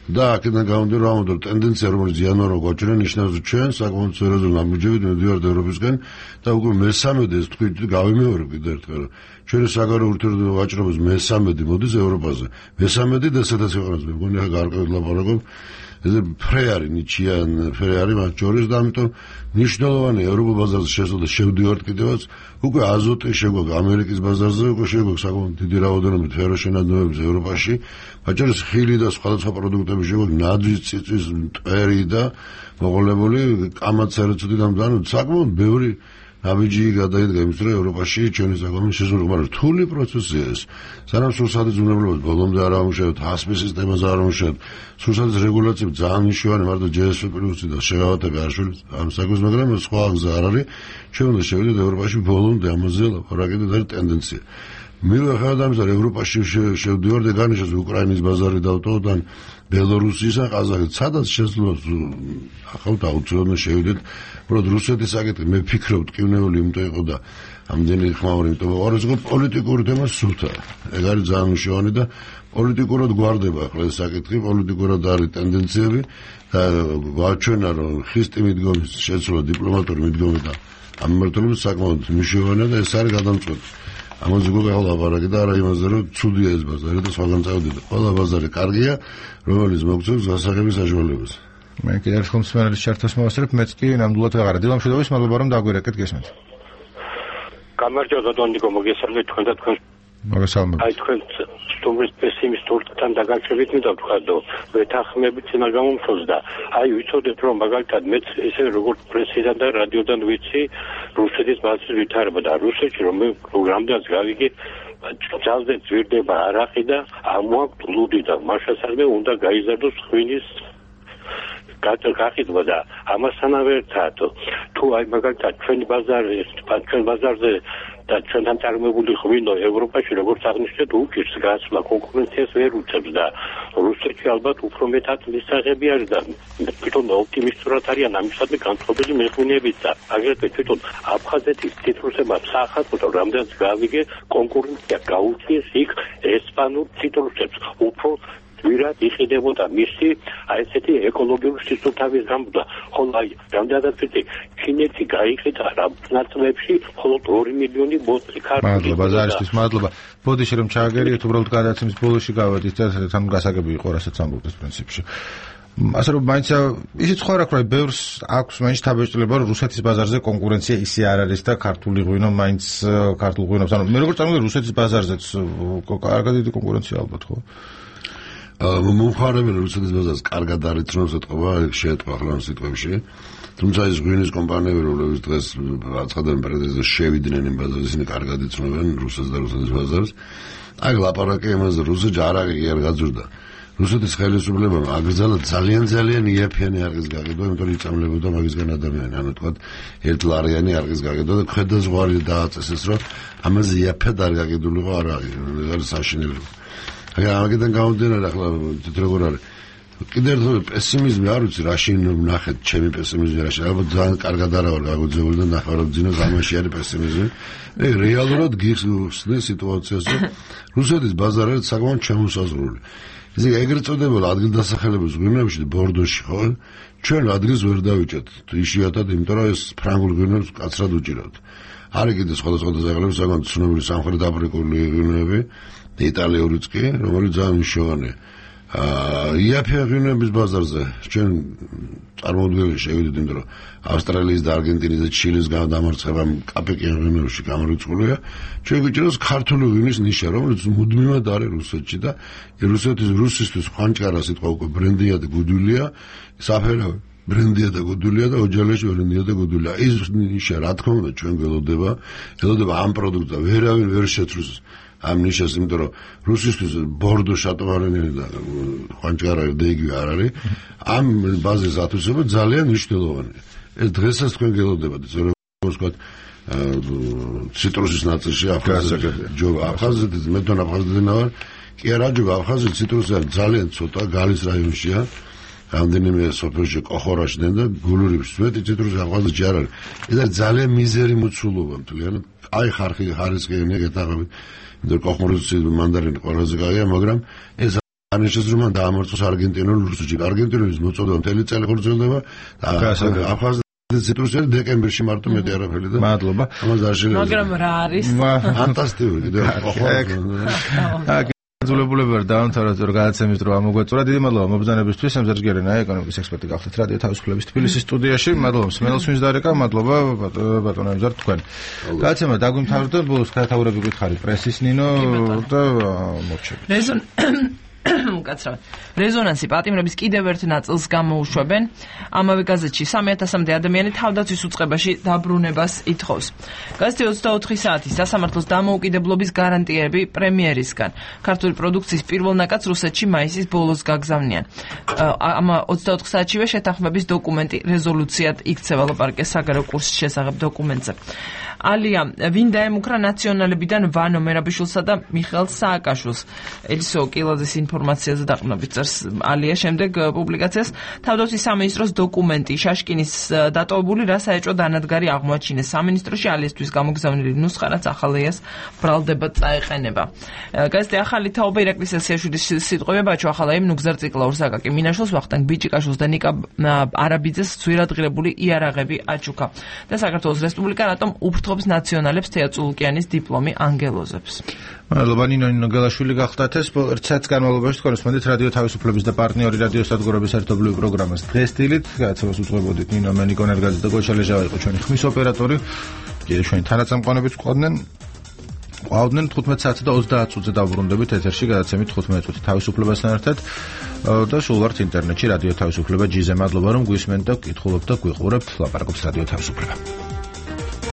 და აქედან გამომდინარე რომ ამ ტენდენცია რომელიც იანვარმა გვაჩვენა ნიშნავს რომ ჩვენ საკმაოდ სერიოზულ ნაბიჯებით მივდივართ ევროპისკენ და უკვე მესამედი ეს თქვით გავიმეორებ კიდევ ერთხელ ჩვენი საგარეო ურთიერთობების ვაჭრობის მესამედი მოდის ევროპაზე მესამედი და სადაც ქვეყანაზე მე მგონი ახლა გარკვეულად ლაპარაკობ ესე ფრეარი ნიჩიან ფრეარი მათ შორის და ამიტომ ნიშნულოვანი ევროპულ ბაზარზე შესვლა შევდივართ კიდევაც უკვე აზოტი შეგვაქვს ამერიკის ბაზარზე უკვე შეგვაქვს საკმაოდ დიდი რაოდენობით ფეროშენადნობების ევროპაში მათ შორის ხილი და სხვადასხვა პროდუქტები შეგვაქვს ნაძვის წიწვის მტვერი და მოყოლებული კამაცერცუდიდან საკმაოდ ბევრი ნაბიჯი გადაიდგა იმის რომ ევროპაში ჩვენი საკუთარი შესაძლებელი მაგრამ რთული პროცესია ეს სანამ სურსათის უნებლობას ბოლომდე არ ამუშავებთ ჰასპის სისტემაზე არ ამუშავებთ სურსათის რეგულაციები ძალიან მნიშვნელოვანი მარტო GSP პლუსი და შეღავათები არ შეიძლება ამ საქმეს მაგრამ სხვა გზა არ არის ჩვენ უნდა შევიდეთ ევროპაში ბოლომდე ამაზე ლაპარაკი და ეს ტენდენცია მიუხედავად ამისა რომ ევროპაში შევდივართ და განსაკუთრებით უკრაინის ბაზარი დავტოვოთ ან ბელორუსიის ან ყაზახეთის სადაც შესაძლოა ახალ აუცილებლად შევიდეთ უბრალოდ რუსეთის საკითხი მე ვფიქრობ ტკივნეული იმიტომ იყო და ამდენი ხმაური იმიტომ არის რომ პოლიტიკური თემა სულთა ეგ არის ძალიან მნიშვნელოვანი და პოლიტიკურად გვარდება ახლა ეს საკითხი პოლიტიკურად არის ტენდენციები და გვაჩვენა რომ ხისტი მიდგომის შეცვლა დიპლომატური მიდგომი და ამ მიმართულებით საკმაოდ მნიშვნელოვანია და ეს არის გადამწყვეტი ამაზე გოგა ლაპარაკი და არა იმაზე რომ ცუდია ეს ბაზარი და სხვაგან წავდიდა ყველა ბაზარი კარგია რომელიც მოგწევს გასაღების საშუალებას მე კიდევ ერთხელ მსმენელის ჩართვას მოვასწრებ მეც კი ნამდვილად ვეღარა დილამშვიდობის მადლობა რომ დაგვირეკეთ გესმით გამარჯობა დონიკო მოგესალმებით თქვენ და თქვენ მოგესალმებით აი თქვენ სტუმრის პესიმისტურთან დაგაჩვენებით მინდა ვთქვა რომ ვეთანხმებით წინა გამომწვევს და აი ვიცოდეთ რომ მაგალითად მეც ესე როგორც პრესიდან და რადიოდან ვიცი რუსეთის ბაზრის ვითარება და რუსეთში რომ მე პროგრამდანაც გავიგე ძალზე ძვირდება არაყი და ამოაქვთ ლუდი და მაშასადმე უნდა გაიზარდოს ხვინის გახიდვა და ამასთანავე ერთად თუ აი მაგალითად ჩვენ ბაზარზე და ჩვენთან წარმოებული ღვინო ევროპაში როგორც აღნიშნეთ უჭირს გასვლა კონკურენციას ვერ უწევს და რუსეთში ალბათ უფრო მეტად მისაღები არის და თვითონ ოპტიმისტურად არიან ამისადმი განწყობილი მეღვინეებით და აგრეთვე თვითონ აფხაზეთის ციტრუსებმა საახალწლო რამდენიც გავიგე კონკურენცია გაუწიეს იქ ესპანურ ციტრუსებს უფრო ვირად იყიდებოდა მისი აი ესეთი ეკოლოგიური სისუფთავის გამბდა ხოლო აი რამდენადაც ვიცი ჩინეთი გაიყიდა რა ნაწილებში მხოლოდ 2 მილიონი ბოთლი ქართული მადლობა ზარისთვის მადლობა ბოდიში რომ ჩააგერიეთ უბრალოდ გადაცემის ბოლოში გავედით და თან გასაგები იყო რასაც ამბობთ პრინციპში ასე რომ მაინც ისიც ხო არ აქვს რა ბევრს აქვს მაინც თაბეჭდილება რომ რუსეთის ბაზარზე კონკურენცია ისე არ არის და ქართული ღვინო მაინც ქართულ ღვინოს ანუ მე როგორც წარმოვიდგინე რუსეთის ბაზარზეც კარგად დიდი კონკურენცია ალბათ ხო მომხარებელი რუსეთის ბაზარს კარგად არიცნობს ეთყობა შეეთყვა ახლა ამ სიტყვებში თუმცა ის ღვინის კომპანიები რომლებიც დღეს აცხადებენ პრეზიდენტზე შევიდნენ იმ ბაზარზე ისინი კარგად იცნობენ რუსეთს და რუსეთის ბაზარს აი ლაპარაკი იმაზე რუსეთში არაყი არ გაძურდა რუსეთის ხელისუფლებამ აკრძალა ძალიან იაფიანი არყის გაკეთება იმიტომ რომ იწამლებოდა მაგისგან ადამიანი ანუ თქვა 1 ლარიანი არყის გაკეთება და ქვედაზღვარი დააწესეს რომ ამაზე იაფად არ გაკეთულიყო არაყი ეს არის საშინელება აგიდან გამომდინარე ახლა როგორ არის კიდევ ერთხელ პესიმიზმი არ ვიცი რაში ნახეთ ჩემი პესიმიზმი რაში ალბათ ძალიან კარგად არა ვარ გაგოძებული და ნახავთ ძინოს ამაში არის პესიმიზმი მე რეალურად გიხსნე სიტუაციას რომ რუსეთის ბაზარი არის საკმაოდ ჩამოსაზღვრული ისე ეგრეთ წოდებულ ადგილდასახელების ღვინოებში ბორდოში ხო ჩვენ ადგილს ვერ დავიჭერთ იშვიათად იმიტომ რომ ეს ფრანგულ ღვინოებს კაცრად უჭირავთ არის კიდე სხვადასხვა დასახელების საკმაოდ ცნობილი სამხრეთ აფრიკული ღვინოები იტალიურიც კი, რომელიც ძალიან მნიშვნელოვანია. იაფია ღვინოების ბაზარზე ჩვენ წარმოუდგენელი შევიდეთ, იმიტომ რომ ავსტრალიის და არგენტინის და ჩილეს დამარცხებამ კაპეკიან ღვინოებში გამორიცხულია. ჩვენ გვიჭირავს ქართული ღვინის ნიშა, რომელიც მუდმივად არის რუსეთში და რუსისთვის ხვანჭარა სიტყვა უკვე ბრენდია და გუდულია, საფერავი ბრენდია და გუდულია და ოჯალეში ბრენდია და გუდულია. ის ნიშა რა თქმა უნდა ჩვენ გველოდება ამ პროდუქტს და ვერავინ ვერ შეცვლს ამ ნიშას, იმიტომ რომ რუსისთვის ბორდო შატოვარენილი და ხვანჭარა და იგივე არ არის. ამ ბაზის ათვისება ძალიან მნიშვნელოვანია. ეს დღესაც თქვენ გელოდებათ, როგორც ვთქვათ, ციტრუსის ნაწილში აფხაზეთის მე თვითონ აფხაზეთიდან ვარ. კი არა, ჯობა აფხაზეთის ციტრუსი ძალიან ცოტა გალის რაიონშია. რამდენიმე სოფელში კოხორაშიდან და გულურებში მეტი ციტრუსი აფხაზეთში არ არის. ეს არის ძალიან მიზერი მოცულობა მთლიანად. აი ხარისხიანი გეთაღები და კოხმორიცი მანდარინი ყველაზე კაია, მაგრამ ეს არნიშნავს რომ დაამორწოს არგენტინული რუსეთში. არგენტინულის მოწოდება მთელი წელი ხორციელდება და აფხაზეთის ციტრუსი დეკემბერში მარტო მეტი არაფერი და მადლობა. ამას არ შეიძლება. მაგრამ რა არის? ფანტასტიკური კიდევ ძულებულები ვარ დაამთავრეთ რომ გადაცემის დრო ამოგვეწურა. დიდი მადლობა მობრძანებისთვის. სამზარს გერენაი ეკონომიკის ექსპერტი გახდით რადიო თავისუფლების თბილისის სტუდიაში. მადლობა მსმენელს ვინც დარეკა, მადლობა ბატონო ემზარ თქვენ. გადაცემა დაგვიმთავრდა, ბოლოს გადათაურები გითხარით პრესის ნინო და მორჩები. უკაცრავად. რეზონანსი პატიმრების კიდევ ერთ ნაწილს გამოუშვებენ. ამავე გაზეთში 3000-მდე ადამიანი თავდაცვის უწყებაში დაბრუნებას ითხოვს. გაზეთი 24 საათის სასამართლოს დამოუკიდებლობის გარანტიები პრემიერისგან. ქართული პროდუქციის პირველ ნაკადს რუსეთში მაისის ბოლოს გაგზავნიან. ამ 24 საათშივე შეთანხმების დოკუმენტი რეზოლუციად იქცევა ლაპარაკეს საგარეო კურსის შესახებ დოკუმენტზე. ალია ვინ დაემუქრა ნაციონალებიდან ვანო მერაბიშვილსა და მიხეილ სააკაშვილს. ელისო კილაძის ინფორმაციაზე დაყრდნობით წერს ალია შემდეგ პუბლიკაციას თავდაცვის სამინისტროს დოკუმენტი შაშკინის დატოვებული რა საეჭვო დანადგარი აღმოაჩინეს სამინისტროში ალიასთვის გამოგზავნილი ნუსხა რაც ახალეას ბრალდებად წაეყენება. გაზეთი ახალი თაობა ირაკლი სესიაშვილის სიტყვები ბაჩო ახალაიმ ნუგზარ ციკლაურს აკაკი მინაშვილს ვახტანგ ბიჭიკაშვილს და ნიკა არაბიძეს ძვირადღირებული იარაღები აჩუქა და საქართველოს რესპუბლიკა რატომ უფრთხობს ნაციონალებს თეატრულკიანის დიპლომი ანგელოზებს. მადლობა ნინო გელაშვილი გახდათ ეს ერთ განმავლობაში თქვენ უსმენთ რადიო თავისუფლების და პარტნიორი რადიო სადგურების ერთობლივ პროგრამას დღეს დილით გადაცემას უძღვებოდით ნინო მენიკო ნერგაძე და გოჩა ლეჟავა იყო ჩვენი ხმის ოპერატორი. კიდევ ჩვენი თანაწამყვანებიც ყავდნენ 15 საათი და 30 წუთზე დავბრუნდებით ეთერში გადაცემით 15 წუთი თავისუფლებასთან ერთად და სულ ვართ ინტერნეტში რადიო თავისუფლება ჯიზე. მადლობა რომ გვისმენთ და გკითხულობთ და გვიყურებთ. ლაპარაკობს რადიო თავისუფლება.